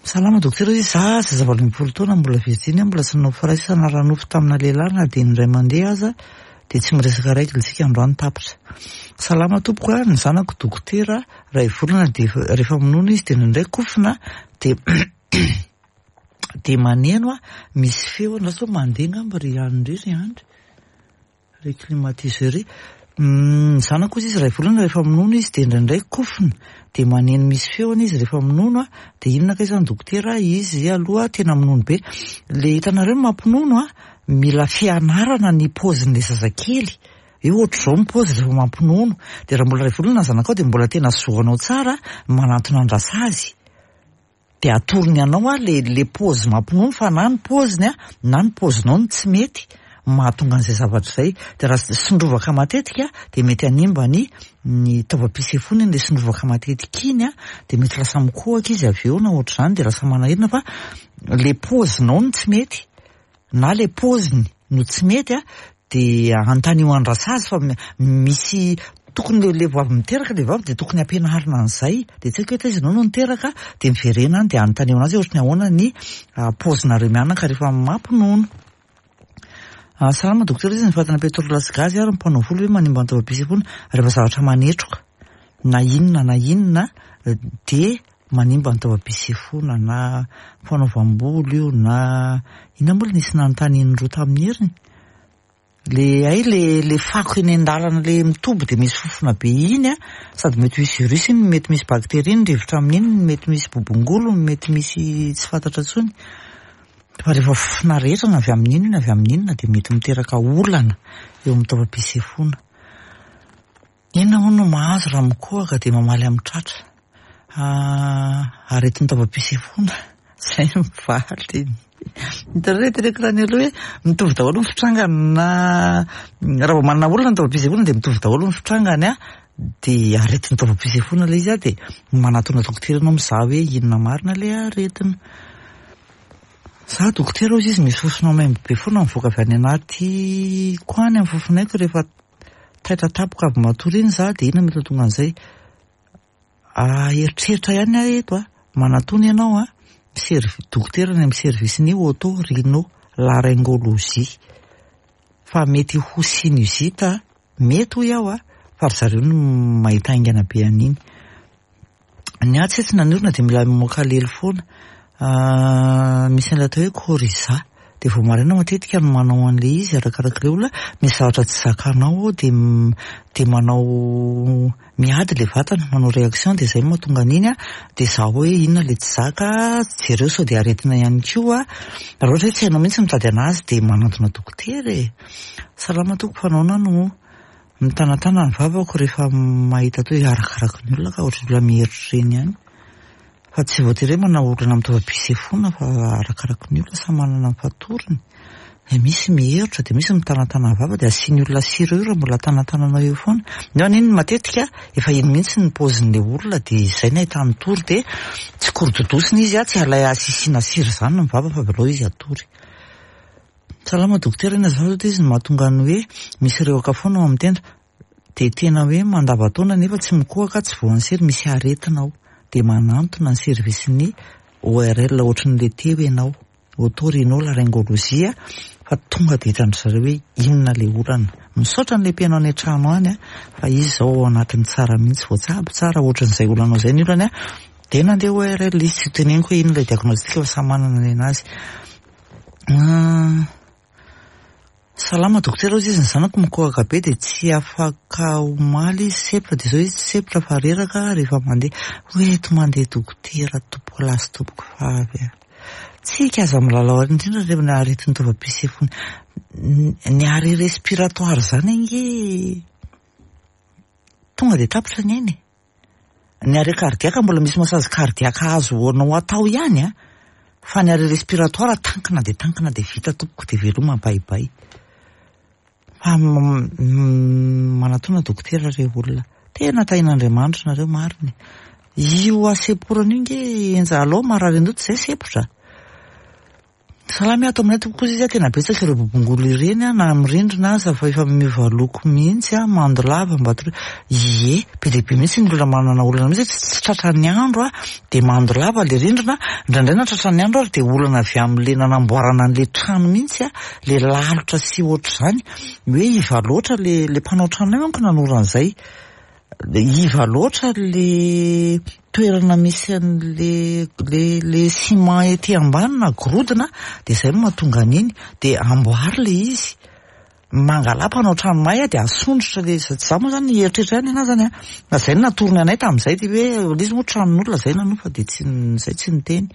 Salama dokotera, izy za zaza valo ambin'ny folo taona mbola virjiny, mbola tsy nanao firaisana ara-nofo tamina lehilahy na dia indray mandeha aza, dia tsy miresaka règle isika androany tapitra. Salama tompoko a, ny zanako dokotera, ray volana dia rehefa minono izy dia indraindray kofona dia dia maneno a, misy feo, andraso hoe mandeha angamba ry andry ry andry, ry climatiseur ry. Ny zanako izy ray volana rehefa minono izy dia indraindray kofona dia maneno misy feony izy rehefa minono a, dia inona kay izany dokotera, izy aloha tena minono be. Le hitanareo ny mampinono a, mila fianarana ny paozin'ilay zazakely. Eo ohatr'izao ny paozy rehefa mampinono, dia raha mbola ray volana ny zanakao dia mbola tena zoanao tsara manantona andrasazy. Dia atorony anao a le, le paozy mampinono, fa na ny paoziny a na ny paozinao no tsy mety mahatonga an'izay zavatra izay. Dia raha sondrovaka matetika dia mety hanimba ny, ny taovam-pisefoana iny, ilay sondrovaka matetika iny a, dia mety lasa mikohaka izy avy eo na ohatr'izany, dia lasa manahirana, fa le paozinao no tsy mety na le paoziny no tsy mety a, dia antanio andrasazy fa misy tokony le, le vavy miteraka le vavy dia tokony ampianarina an'izay. Dia tsy haiko hoe taiza ianao no niteraka, dia miverena any dia antanio anazy hoe ohatry ny ahoana ny paozinareo mianaka rehefa mampinono. Salama dokotera, izy ny fatana pétrole sy gaz ary ny mpanao volo hoe manimba ny taovam-pisefoana rehefa zavatra manetroka na inona na inona dia manimba ny taovam-pisefoana, na fanaovam-bolo io na inona moa nisy nanontany indroa tamin'ny heriny. Le hay le, le fako eny an-dalana le mitombo dia misy fofona be iny a, sady mety misy virus iny, mety misy bakteria ny rivotra amin'iny, mety misy bobongolo, mety misy tsy fantatra intsony. Fa rehefa fofona rehetra na avy amin'iny na avy amin'inona dia mety miteraka olana eo amin'ny taovam-pisefoana. Inona moa no mahazo raha mikohaka dia mamaly amin'ny tratra? Aretin'ny taovam-pisefoana, izay no valiny. Hitanareo ilay teneniko tany aloha hoe mitovy daholo ny fitrangany na raha vao manana olana ny taovam-pisefoana dia mitovy daholo ny fitrangany a, dia aretin'ny taovam-pisefoana ilay izy a, dia manatona dokotera ianao mizaha hoe inona marina ilay aretina. Za dokotera hozy izy misy fofona maimbo be foana mivoaka avy any anaty ko any amin'ny fofonaiko rehefa taitra tampoka avy matory iny za, dia inona mety hahatonga an'izay? Eritreritra ihany aho eto a, manatona ianao a, serv- dokotera any amin'ny service-ny oto-rhino laryngologie fa mety ho sinusite, mety hoy aho a, fa ry zareo no mahita haingana be an'iny. Ny ahy tsy na ny orona dia mila mamoaka lelo foana. Misy an'ilay atao hoe coryza, dia vao maraina matetika no manao an'ilay izy arakarak'ilay olona, misy zavatra tsy zakanao ao dia dia manao miady ilay vatana, manao réaction dia izay no mahatonga an'iny a, dia izaho hoe inona ilay tsy zaka, jereo sao dia aretina ihany koa, raha ohatra hoe tsy hainao mihitsy mitady anazy dia manantona dokotera e. Salama tompoko, fa nahoana no mitanatana ny vavako rehefa mahita toy arakaraky ny olona ka ohatran'ny olona miherotra ireny ihany. Fa tsy voatery hoe manao olana amin'ny taovam-pisefoana fa arakaraky ny olona samy manana ny fatoriny. Dia misy miherotra dia misy mitanatana ny vava dia asian'ny olona sira eo raha mbola tanatananao eo foana. Nefa iny matetika efa iny mihitsy ny paozin'ilay olona dia izay no ahitany tory dia tsy korododosina izy a, tsy alay asisiana sira izany ny vava fa avelao izy hatory. Salama dokotera, inona azafady izy no mahatonga ny hoe misy rehoka foana ao amin'ny tenda dia tena hoe mandava-taona nefa tsy mikohaka, tsy voan'ny sery, misy aretina ao dia manantona ny service-ny O R L ohatran'ilay teo ianao, oto-rhino-laryngologie, fa tonga dia hitan-dry zareo hoe inona ilay olana. Misaotra an'ilay mpihaino any an-trano any a, fa izy izao ao anatin'ny tsara mihitsy, voatsabo tsara ohatran'izay olanao izay ny olany a, dia nandeha O R L izy, tsy teneniko hoe inona ilay diagnostic fa samy manana ny anazy. Salama dokotera, hozy izy ny zanako mikohaka be dia tsy afaka omaly izy sepotra, dia izao izy tsy sepotra fa reraka rehefa mandeha. Hoe eto mandeha dokotera tompoko lahy sy tompoko vavy a. Tsika aza milalao ary indrindra rehefa ny aretin'ny taovam-pisefoana. Ny arrêt respiratoire zany ange tonga dia tapitra ny aina e. Ny arrêt cardiaque mbola misy massage cardiaque azo anao atao ihany a, fa ny arrêt respiratoire tankina dia tankina dia vita tompoko dia veloma baibay. Fa manatona dokotera re olona. Tena tahin'Andriamanitra nareo marina. Io aseporana io nge enja alao marary andoha tsy izay sepotra. Salama ato aminay tompoko izy tena betsaka ireo bobongolo ireny a, na amin'ny rindrina aza fa efa miova loko mihitsy a, mando lava mba toro. Ie, be dia be mihitsy ny olona manana olana mihitsy tsy tratran'ny andro a, dia mando lava ilay rindrina, indraindray na tratran'ny andro ary dia olana avy amin'ilay nanamboarana an'ilay trano mihitsy a, ilay lalotra sy ohatr'izany, hoe iva loatra ilay ilay mpanao trano io manko nanora an'izay. Iva loatra le toerana misy an'le le le ciment ety ambany na gorodona dia izay no mahatonga an'iny dia amboary le izy. Mangala mpanao trano mahay a dia asondrotra le izy. Za moa zany eritreritra ihany anahy zany a. Fa izay no natorony anay tamin'izay dia hoe ilay izy moa tranon'olona izay nanofa dia tsy izay tsy niteny.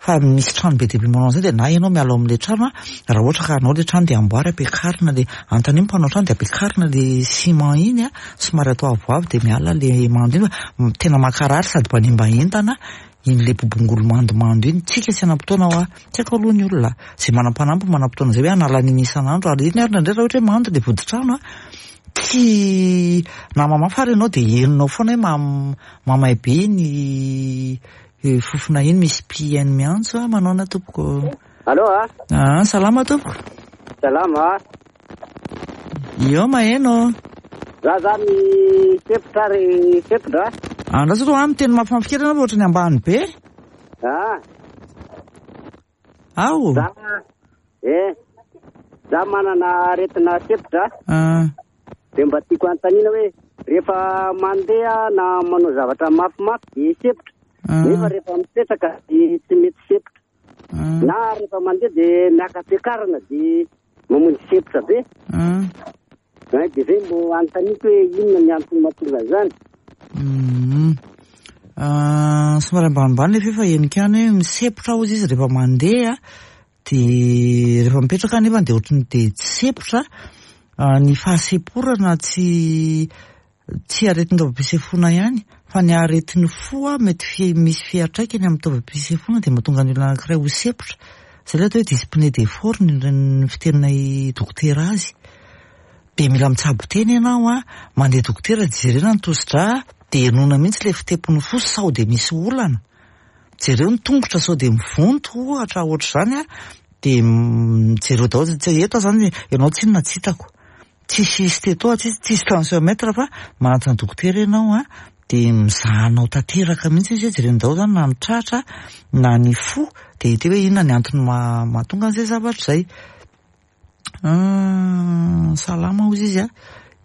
Fa misy trano be dia be manao an'izay dia na ianao miala ao amin'ilay trano a, raha ohatra ka anao ilay trano dia amboary ampiakarina ilay, anontanio ny mpanao trano dia ampiakarina ilay ciment iny a, somary atao avoavo dia miala ilay mando iny fa tena mankarary sady mpanimba entana iny ilay bobongolo mandomando iny. Tsika tsy hanam-potoana hoa, tsy haiko aloha ny olona, izay manam-panampy manam-potoana izay hoe hanala an'iny isan'andro ary iny ary indraindray raha ohatra hoe mando ilay voditrano a, tsy na mamafa ary ianao dia henonao foana hoe mam- mamay be iny fofona iny, misy mpihaino miantso a, manaona tompoko. Allô a? Ah, salama tompoko. Salama. Io maheno. Za zany sepotra ary sepotra. Andraso aloha, miteny mafimafy kely ianao fa ohatran'ny ambany be. Ah. Ao. Za, eh, za manana aretina sepotra. Ah. Dia mba tiako anontaniana hoe rehefa mandeha na manao zavatra mafimafy dia sepotra. Ah. Nefa rehefa mipetraka dia tsy mety sepotra. Ah. Na rehefa mandeha dia miaka-piakarana dia mamonjy sepotra be. Ah. Eh, dia zay mbo anontaniako hoe inona ny antony mahatonga an'izany. Mm. Ah, somary ambanimbany le fefa henika ihany hoe misepotra hozy izy rehefa mandeha dia rehefa mipetraka nefa dia ohatran'ny dia tsy sepotra. Ah, ny fahaseporana tsy Tsy aretin'ny taovam-pisefoana ihany fa ny aretin'ny fo a mety fi- misy fiantraikany amin'ny taovam-pisefoana, dia mahatonga ny olona anankiray ho sempotra. Zay ilay atao hoe dyspnée d'effort ny ny fiteninay dokotera azy. Dia mila mitsabo tena ianao a, mandeha dokotera, jerena ny tosi-drà, dia henoina mihitsy ilay fitepon'ny fo sao dia misy olana. Jereo ny tongotra sao dia mivonto ohatra ohatr'izany a, dia jereo daholo. Tsy eto zany ianao tsinona tsy hitako. Tsisy stétho, tsisy tsisy tensiomètre, fa manatona dokotera ianao a, dia mizahanao tanteraka mihitsy izy hoe jerena daholo zany na ny tratra na ny fo, dia hita hoe inona ny antony mahatonga an'izay zavatra izay. Salama hozy izy a,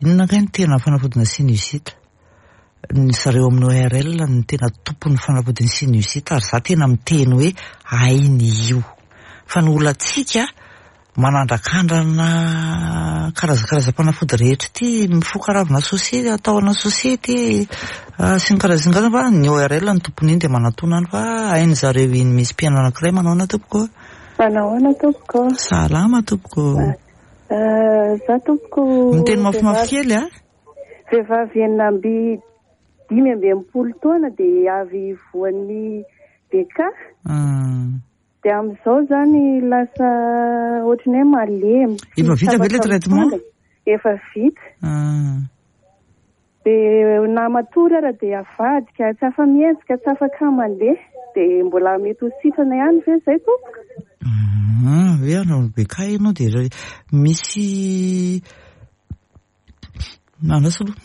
inona kay ny tena fanafodina sinusite? Ny zareo amin'ny O R L ny tena tompon'ny fanafodin'ny sinusite, ary za tena miteny hoe hainy io. Fa ny olantsika manandrakandrana karazakarazam-panafody rehetra ity, mifoka ravina sosiety, atao ana sosiety sy ny karazany karazany, fa ny O R L ny tompony iny, dia manatona any fa hainy zareo iny. Misy mpiaino anankiray manao ana tompoko. Manahoana tompoko? Salama tompoko. Za tompoko. Miteny mafimafy kely a. Vehivavy enina amby dimy amby enimpolo taona, dia avy voan'ny B K, dia amin'izao zany lasa ohatrany hoe malemy. Efa vita ve le traitement? Efa vita. Dia na matory ara dia avadika, tsy afa-mihetsika, tsy afaka mandeha, dia mbola mety ho sitrana ihany ve zay tompoko? Hoe anao B K ianao, dia misy andraso aloha,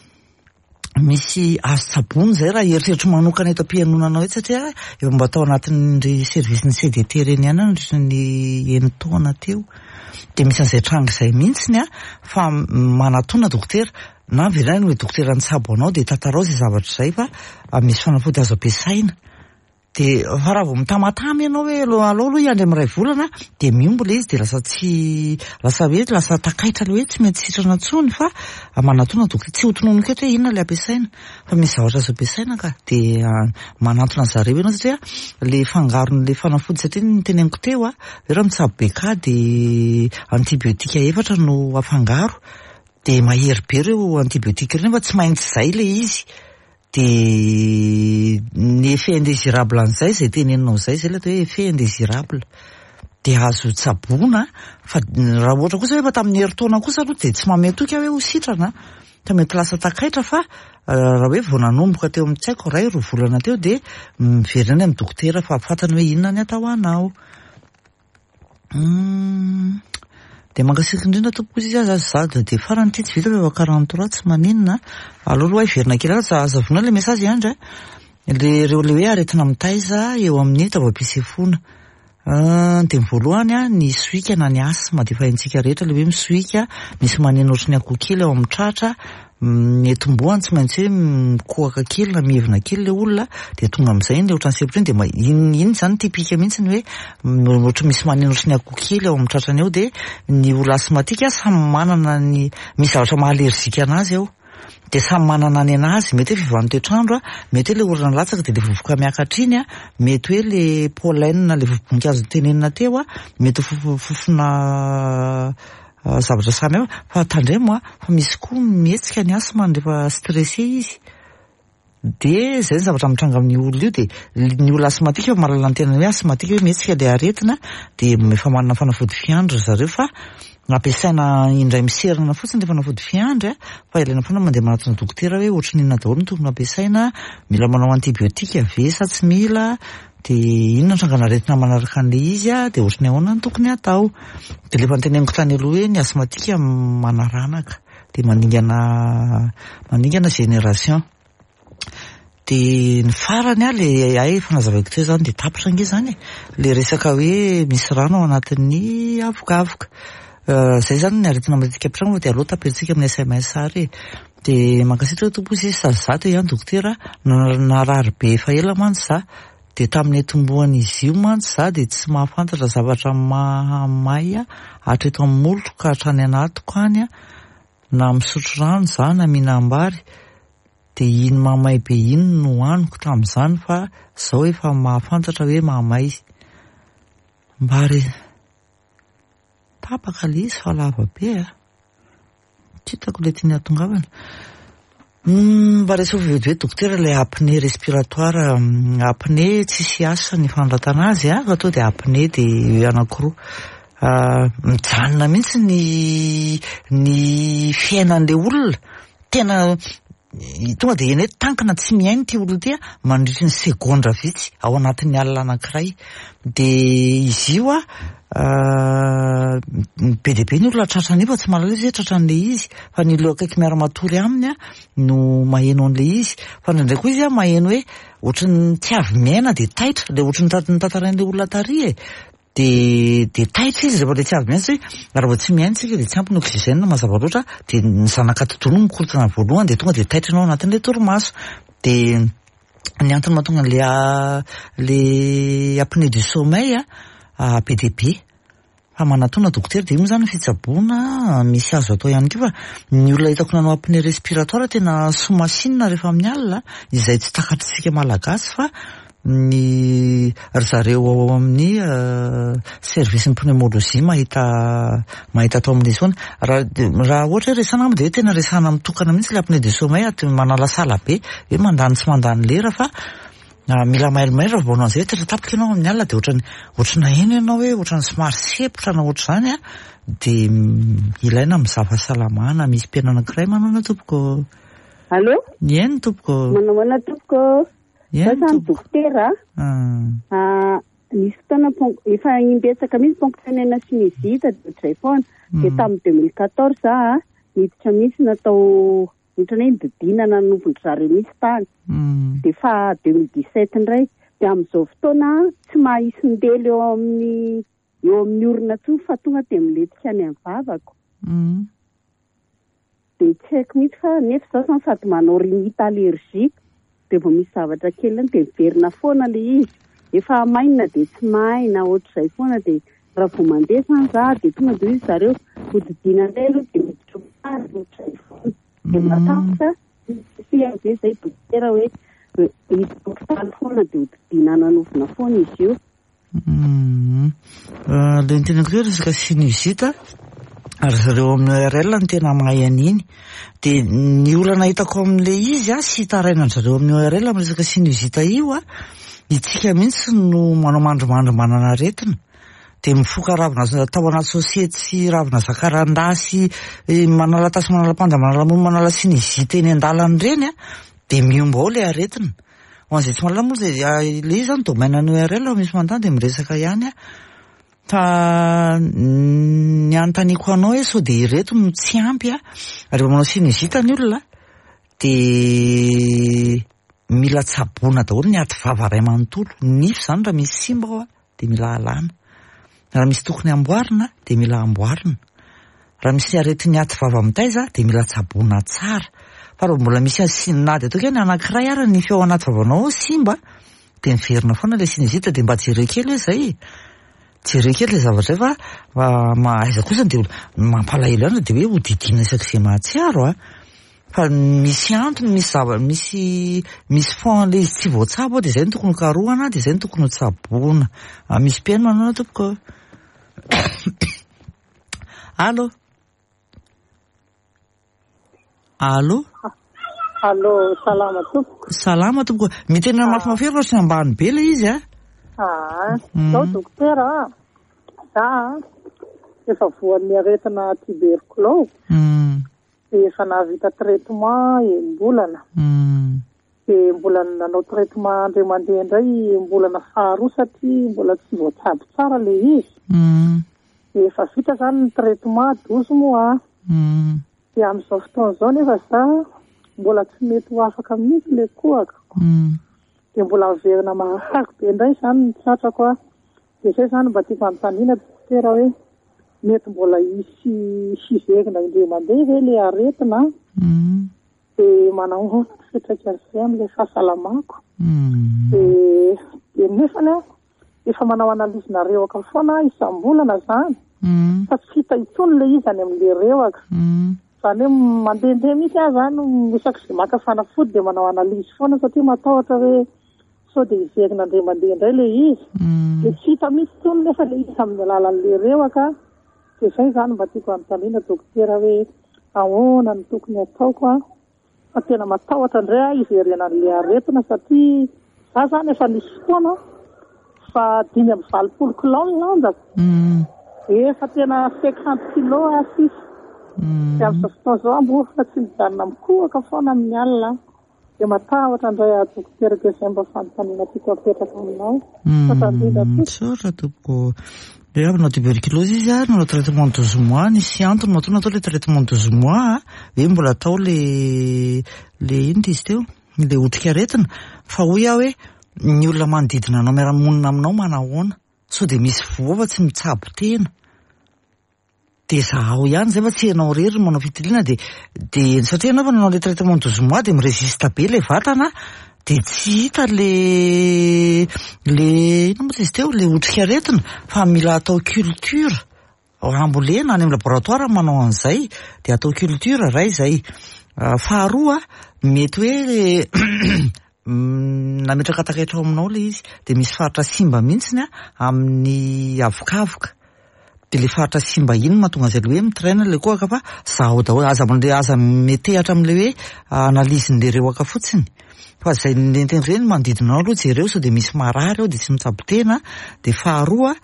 misy azo tsaboina zay raha eritreritro manokana eto am-pihainonanao eto, satria efa mba tao anatin'ry service ny C D T reny ihany nandritra ny enin-taona teo, dia misy an'izay tranga izay mihitsiny a. Fa manatona dokotera na miverina hoe dokotera nitsabo anao, dia tantarao izay zavatra izay, fa misy fanafody azo ampiasaina. Dia fa raha vao mitamatama ianao hoe aloha aloha hiandry amin'ny iray volana, dia miombo ilay izy, dia lasa tsy lasa hoe lasa takaitra le hoe tsy maintsy sitrana intsony. Fa manatona dokotera, tsy ho tononiko eto hoe inona ilay ampiasaina, fa misy zavatra azo ampiasaina ka dia manantona zareo ianao, satria le fangaron'le fanafody, satria ny teneniko teo a, hoe raha mitsabo B K dia antibiotika efatra no afangaro, dia mahery be ireo antibiotika ireo, nefa tsy maintsy zay le izy. Dia ny effet indésirable an'izay zay teneninao zay zay le atao hoe effet indésirable, dia azo tsaboina. Fa raha ohatra kosa hoe efa tamin'ny herintaona kosa aloha, dia tsy manome toky hoe ho sitrana, fa mety lasa takaitra. Fa raha hoe vao nanomboka teo amin'ny, tsy haiko, ray roa volana teo, dia miverina any amin'ny dokotera fa fantany hoe inona ny atao anao. Dia mankasitraka indrindra tompoko izy aza za dia farany ity tsy vita fa efa quarante trois, tsy maninona. Aloha aloha hiverina kely aza azavona le message andry a, le reo le hoe aretina mitaiza eo amin'ny taovam-pisefoana. Dia ny voalohany a, ny sohika na ny asthme, dia efa haintsika rehetra le hoe misohika, misy maneno ohatry ny akoho kely ao amin'ny tratra, ny atombohany tsy maintsy hoe mikohaka kely na mihevina kely le olona, dia tonga amin'izay iny le ohatran'ny sempotra iny, dia iny iny zany typique mihitsy ny hoe ohatra misy maneno ohatry ny akoho kely ao amin'ny tratrany ao. Dia ny olona asthmatique samy manana ny misy zavatra maha allergique anazy ao, dia samy manana ny anazy. Mety hoe fiovan'ny toetrandro a, mety hoe le orana latsaka dia le vovoka miakatra iny a, mety hoe le pollen, le vovo-boninkazo tenenina teo a, mety ho fofona zavatra samy hafa. Fa tandremo a, fa misy koa mihetsika ny asthme rehefa stressé izy, de zay ny zavatra mitranga amin'ny olona io. De ny olona asthmatique efa mahalala ny tenany hoe asthmatique, hoe mihetsika le aretina, de efa manana fanafody fiandry zareo, fa ampiasaina indray miserana fotsiny le fanafody fiandry a, fa ilaina foana mandeha manatona dokotera hoe ohatry ny inona daholo no tokony ampiasaina, mila manao antibiotika ve sa tsy mila, de inona ny trangana aretina manaraka an'le izy a, de ohatry ny ahoana ny tokony atao. De lefa nyteneniko tany aloha hoe ny asthmatique manaranaka, de maningana maningana génération. De ny farany a, le ay fanazavaiko teo zany, de tapitra ange zany e, le resaka hoe misy rano ao anatin'ny avokavoka zay zany ny aretina matetika ampitranga. De aloha taperitsika amin'ny S M S ary e. De mankasitraka tompo izy sazato ihany dokotera, narary be efa ela mantsy za, de tamin'ny atombohan'izy io mantsy za de tsy mahafantatra zavatra mahamay hatreto amin'ny molotro ka hatrany anatiko any a, na misotro rano za na mihinam-bary, de iny mahamay be iny no hohaniko tamin'izany, fa zao efa mahafantatra hoe mahamay mba re tapaka le izy fa lava be a, tsy hitako le tiany hatongavana. Mba resao vetivety dokotera ilay apnée respiratoire. Apnée tsisy asa ny fanoratana azy a, fa to dia apnée dia anankiroa. Mijanona mihitsy ny ny fiainan'ilay olona, tena tonga dia eny hoe tankina tsy mihaino ity olona ity a mandritry ny segondra vitsy ao anatin'ny alina anankiray. Dia izy io a be dia be ny olona tratrany io fa tsy mahalala izy hoe tratran'ilay izy, fa ny olona akaiky miara-matory aminy a no maheno an'ilay izy. Fa indraindray koa izy a maheno hoe ohatran'ny tsy avy miaina dia taitra, ilay ohatran'ny notantarain'ilay olona tary e. Dia dia taitra izy rehefa ilay tsy avy miaina, satria raha vao tsy miaina isika dia tsy ampy ny oxygène mazava loatra, dia ny zanak'atidoha no mikorontana voalohany dia tonga dia taitra ianao anatin'ilay torimaso. Dia ny antony mahatonga an'ilay le apnée du sommeil a be dia be. Fa manatona dokotera dia io moa zany ny fitsaboana misy azo atao ihany koa, fa ny olona hitako nanao apnée respiratoire tena somasinina rehefa amin'ny alina, izay tsy takatritsika malagasy, fa ny ry zareo ao amin'ny service ny pneumologie mahita mahita atao amin'izy foana. Raha raha ohatra hoe resahana angamba dia hoe tena resahana mitokana mihitsy ilay apnée du sommeil, aty manalasala be hoe mandany tsy mandany lera, fa mila mailomailo raha vao manao an'izay hoe tena tapaka ianao amin'ny alina dia ohatrany ohatrany naheno ianao hoe ohatrany somary sepotra na ohatr'izany a, dia ilaina mizaha fahasalamana. Misy mpihaino anankiray manana tompoko. Allô? Eny tompoko. Manao ahoana tompoko? Eny Za dokotera. Ah. Nisy fotoana efa imbetsaka mihitsy ponctionnena sinusite dia ohatr'izay foana. Dia tamin'ny deux mille quatorze za niditra mihitsy natao ohatrany hoe nodidina nanovon-dry zareo mihitsy tany. Dia fa deux mille dix-sept indray. Dia amin'izao fotoana tsy mahisy ndely eo amin'ny eo amin'ny orona intsony fa tonga dia milentika any amin'ny vavako. Dia tsy haiko mihitsy fa nefa izaho zany sady manao rhinite allergique, dia vao misy zavatra kely iny dia miverina foana ilay izy. Efa maina dia tsy maina ohatr'izay foana, dia raha vao mandeha zany za dia tonga dia hoy zareo hodidina indray aloha dia miditra hopitaly ohatr'izay foana. Dia matahotra sy izay dokotera hoe hiditra hopitaly foana dia hodidina nanovona foana izy io. Ilay niteneniko teo resaka sinusite, ary zareo amin'ny O R L no tena mahay an'iny. Dia ny olana hitako amin'ilay izy a, sy hitarainana zareo amin'ny O R L amin'ny resaka sinusite io a, itsika mihitsy no manao mandrimandry manana aretina. Dia mifoka ravina tao anaty sosiety sy ravina zakarandahy sy manala tasy, manala panda, manala mony, manala sinusite eny an-dalana ireny a, dia miomba ao ilay aretina. Ho an'izay tsy mahalala moa izay, ilay izy zany domaine ny O R L, misy manontany dia miresaka ihany a. Fa ny anontaniako anao hoe sao dia ireto no tsy ampy a, rehefa manao sinusite ny olona dia mila tsaboina daholo ny aty vava iray manontolo. Ny nify zany raha misy simba ao a dia mila alana, raha misy tokony amboarina dia mila amboarina, raha misy aretin'ny aty vava mitaiza dia mila tsaboina tsara. Fa raha mbola misy na dia ataoko hoe ny anankiray ary ny nify ao anaty vavanao ao simba dia miverina foana ilay sinusite. Dia mba jereo kely hoe izay, jereo kely ilay zavatra izay, fa aiza kosa dia mampalahelo ihany dia hoe hodidina isak'izay mahatsiaro a. Fa misy antony, misy zava-, misy misy fond ilay izy tsy voatsabo dia izay no tokony hokarohana, dia izay no tokony hotsaboina. Misy mpihaino manao tompoko. Allô? Allô? Allô, salama tompoko. Salama tompoko. Miteny mafimafy ery sy ambany be ilay izy a. Ah, zao dokotera, za efa voan'ny aretina tuberculose. Dia efa nahavita traitement enim-bolana. Dia mbola nanao traitement indray mandeha indray enim-bolana faharoa satria mbola tsy voatsabo tsara ilay izy. Dia efa vita zany ny traitement douze mois. Dia amin'izao fotoana izao nefa za mbola tsy mety ho afaka mihitsy ilay kohaka. Dia mbola miverina marary be indray zany ny tratrako a. Dia izay zany mba tiako anontaniana dokotera hoe mety mbola hisy hiverina indray mandeha ve ilay aretina? Dia manao ahoana ny fiantraikan'izay amin'ilay fahasalamako? Dia dia nefany a efa manao analyse na rehoka foana isam-bolana zany. Fa tsy hita intsony ilay izy any amin'ilay rehoka. Zany hoe mandehandeha mihitsy aho zany isak'izay maka fanafody dia manao analyse foana satria matahotra hoe sao dia hiverina indray mandeha indray ilay izy. Dia tsy hita mihitsy intsony nefa ilay izy amin'ny alalan'ilay rehoka. Dia izay zany mba tiako anontaniana dokotera hoe ahoana no tokony ataoko a, Fa tena matahotra indray aho hiverenan'ilay aretina satria za zany efa nisy fotoana fa dimy amby valopolo kilao ny lanjako. Efa tena cinquante kilo aho sisa. Dia amin'izao fotoana izao mbola tsy mijanona mikohaka foana amin'ny alina. Dia matahotra indray aho dokotera, dia izay mba fanontaniana tiako apetraka aminao. Misaotra tompoko. Dia avy nanao tuberculose izy a, nanao traitement douze mois, nisy antony matoa natao le traitement douze mois, hoe mbola atao le le inona izy teo, le otrikaretina. Fa hoy aho hoe ny olona manodidina anao miara-monina aminao manahoana, sao dia misy voa fa tsy mitsabo tena. Dia zahao ihany zay fa tsy ianao irery no manao fitiliana, dia dia satria ianao efa nanao le traitement douze mois dia miresiste be le vatana, dia tsy hita le le inona moa izy teo, le otrikaretina, fa mila atao culture ambolena any amin'ny laboratoire manao an'izay, dia atao culture ray izay. Faharoa, mety hoe nametraka takaitra ao aminao le izy, dia misy faritra simba mihitsiny amin'ny avokavoka. Dia le faritra simba iny mahatonga an'izay le hoe mitraina le kohaka, fa zahao daholo, aza mandeha, aza metehatra amin'le hoe analyse-n'le rehoaka fotsiny. Fa izay nentiny ireny manodidina anao aloha jereo sao dia misy marary ao dia tsy mitsabo tena. Dia faharoa,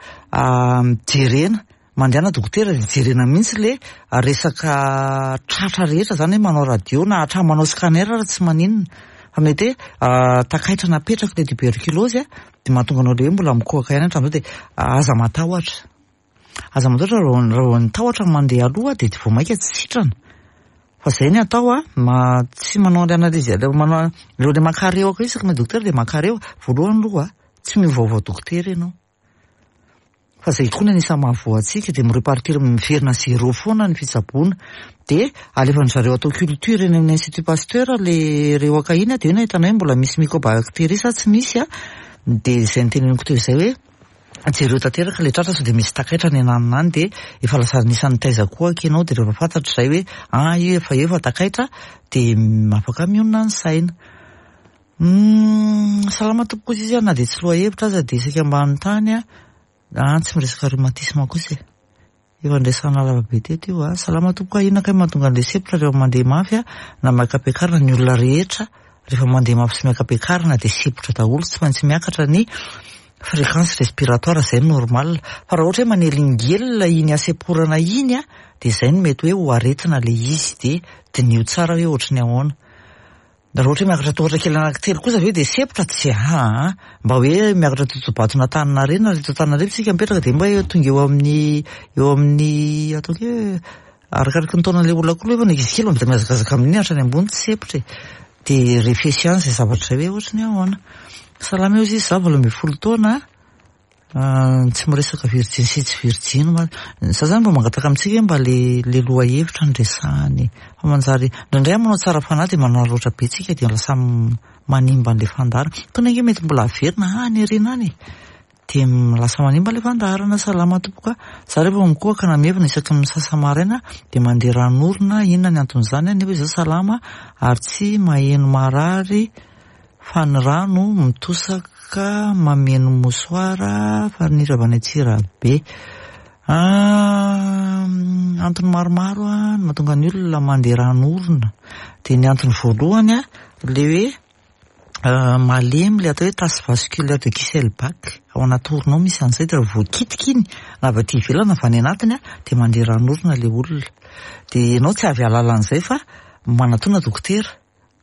jerena, mandehana dokotera dia jerena mihitsy le resaka tratra rehetra zany hoe manao radio na hatramin'ny manao scanner raha tsy maninona. Fa mety hoe takaitra napetraka le tuberculose dia mahatonga anao le hoe mbola mikohaka ihany hatramin'izao, dia aza matahotra. Aza matahotra raha vao nitahotra mandeha aloha dia vao mainka tsy sitrana. Fa izay ny atao a, ma tsy manao an'ilay analyse, manao ireo le maka rehoka isaky ny dokotera dia maka rehoka. Voalohany aloha tsy miovaova dokotera ianao. Fa izay koa ny anisan'ny mahavoa antsika, dia mirepartir miverina zéro foana ny fitsaboana. Dia alefan'ny zareo atao culture eny amin'ny Institut Pasteur le rehoka iny, dia eo no ahitana hoe mbola misy mycobactérie sa tsy misy a. Dia izay niteneniko teo izay hoe jereo tanteraka le tratra sao dia misy takaitra any ananona any, dia efa lasa anisan'ny taiza kohaka ianao, dia rehefa fantatra izay hoe ah io efa eo fa takaitra, dia afaka mionona ny saina. Salama tompoko izy, na dia tsy lohahevitra aza dia isaka ambany tany a, ah tsy miresaka rhumatisme kosa e. Efa nresahana lava be teto io a. Salama tompoko, inona kay mahatonga an'ilay sepotra rehefa mandeha mafy a, na miaka-piakarana? Ny olona rehetra rehefa mandeha mafy sy miaka-piakarana dia sepotra daholo, tsy maintsy miakatra ny fréquence respiratoire, izay normal. Fa raha ohatra hoe manelingelina iny hasemporana iny a, dia izay no mety hoe ho aretina le izy, dia diniho tsara hoe ohatry ny ahoana. Raha ohatra hoe miakatra tohatra kely anankitelo kosa ve dia sepotra? Tsy a, mba hoe miakatra totobaton'Antaninarenina, reto Antananarivo tsika mipetraka dia mba tonga eo amin'ny eo amin'ny ataoko hoe arakaraky ny taonan'ilay olona koa aloha, efa ny ankizy kely mba mihazakazaka amin'iny hatrany ambony tsy sepotra e. Dia refesy ihany izay zavatra izay hoe ohatry ny ahoana. Salama eo izy, za valo ambin'ny folo taona, tsy miresaka virjiny sy tsy virjiny. Za zany mba mangataka amintsika hoe mba le le lohahevitra no resahany. Fa manjary indraindray manao tsara fanahy dia manararaotra be tsika dia lasa manimba an'ilay fandaharana. Tony ange mety mbola averina any aoriana any e. Dia lasa manimba ilay fandaharana. Salama tompoko. Za rehefa mikohaka na mihevina isaky ny misasa maraina dia mandeha ran'orona, inona ny anton'izany? Nefa izaho salama ary tsy maheno marary, fa ny rano mitosaka mameno mosoara fa ny avy any Antsirabe. Antony maromaro a mahatonga ny olona mandeha ran'orona. Dia ny antony voalohany a, le hoe malemy le atao hoe tache vasculaire de Kiesselbach ao anaty orona ao misy an'izay, dia raha voakitika iny na avy aty ivelany na avy any anatiny a, dia mandeha ran'orona le olona. Dia ianao tsy avy ahalala an'izay fa manatona dokotera.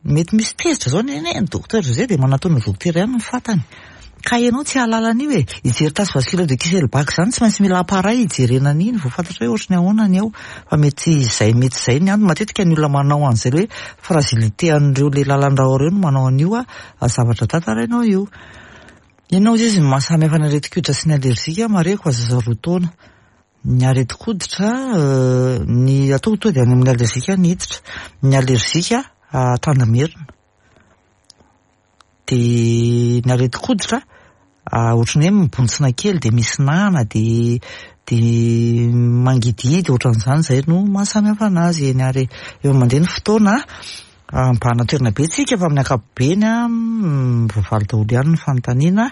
Mety misy tezitra zao ny ny dokotera zay dia manatona dokotera ihany ny fantany. Ka ianao tsy ahalala an'io e. Hijery tache vasculaire de Kiesselbach zany tsy maintsy mila appareil hijerena an'iny vao fantatra hoe ohatry ny ahoana ny ao. Fa mety izay mety izay ny antony. Matetika ny olona manao an'izay hoe fragilité an'ireo le lalan-drà ireo no manao an'io a zavatra tantarainao io. Inona ozy izy ny mahasamihafa ny aretin-koditra sy ny allergique? Marihiko fa zaza roa taona. Ny aretin-koditra, ny atao tonga dia any amin'ny allergique ny hiditra. Ny allergique tandamerina. Dia ny aretin-koditra ohatran'ny hoe mibontsina kely dia misy nana dia dia mangidihidy ohatran'izany, izay no mahasamihafa anazy. Eny ary efa mandeha ny fotoana, mibahana toerana be tsika fa amin'ny ankapobeny a mivoavaly daholo ihany ny fanontaniana.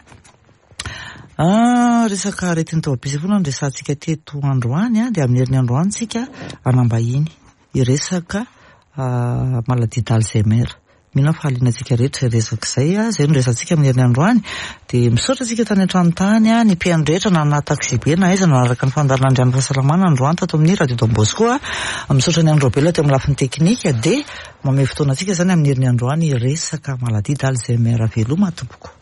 Resaka aretin'ny taovam-pisefoana no resahantsika teto androany a, dia amin'ny herin'ny androany tsika hanambahiny hiresaka Maladie d'Alzheimer. Mino aho fa hahaliana antsika rehetra izay resaka izay a, izay no resahantsika amin'ny herin'ny androany. Dia misaotra antsika tany an-trano tany a, ny mpihaino rehetra na anaty taxi be na aiza nanaraka ny fandaharana Andrian'ny Fahasalamana androany tato amin'ny Radio Don Bosco a. Misaotra ny Andry Raobelina teo amin'ny lafiny teknika, dia mamehy fotoana antsika izany amin'ny herin'ny androany resaka maladie d'Alzheimer. Veloma tompoko.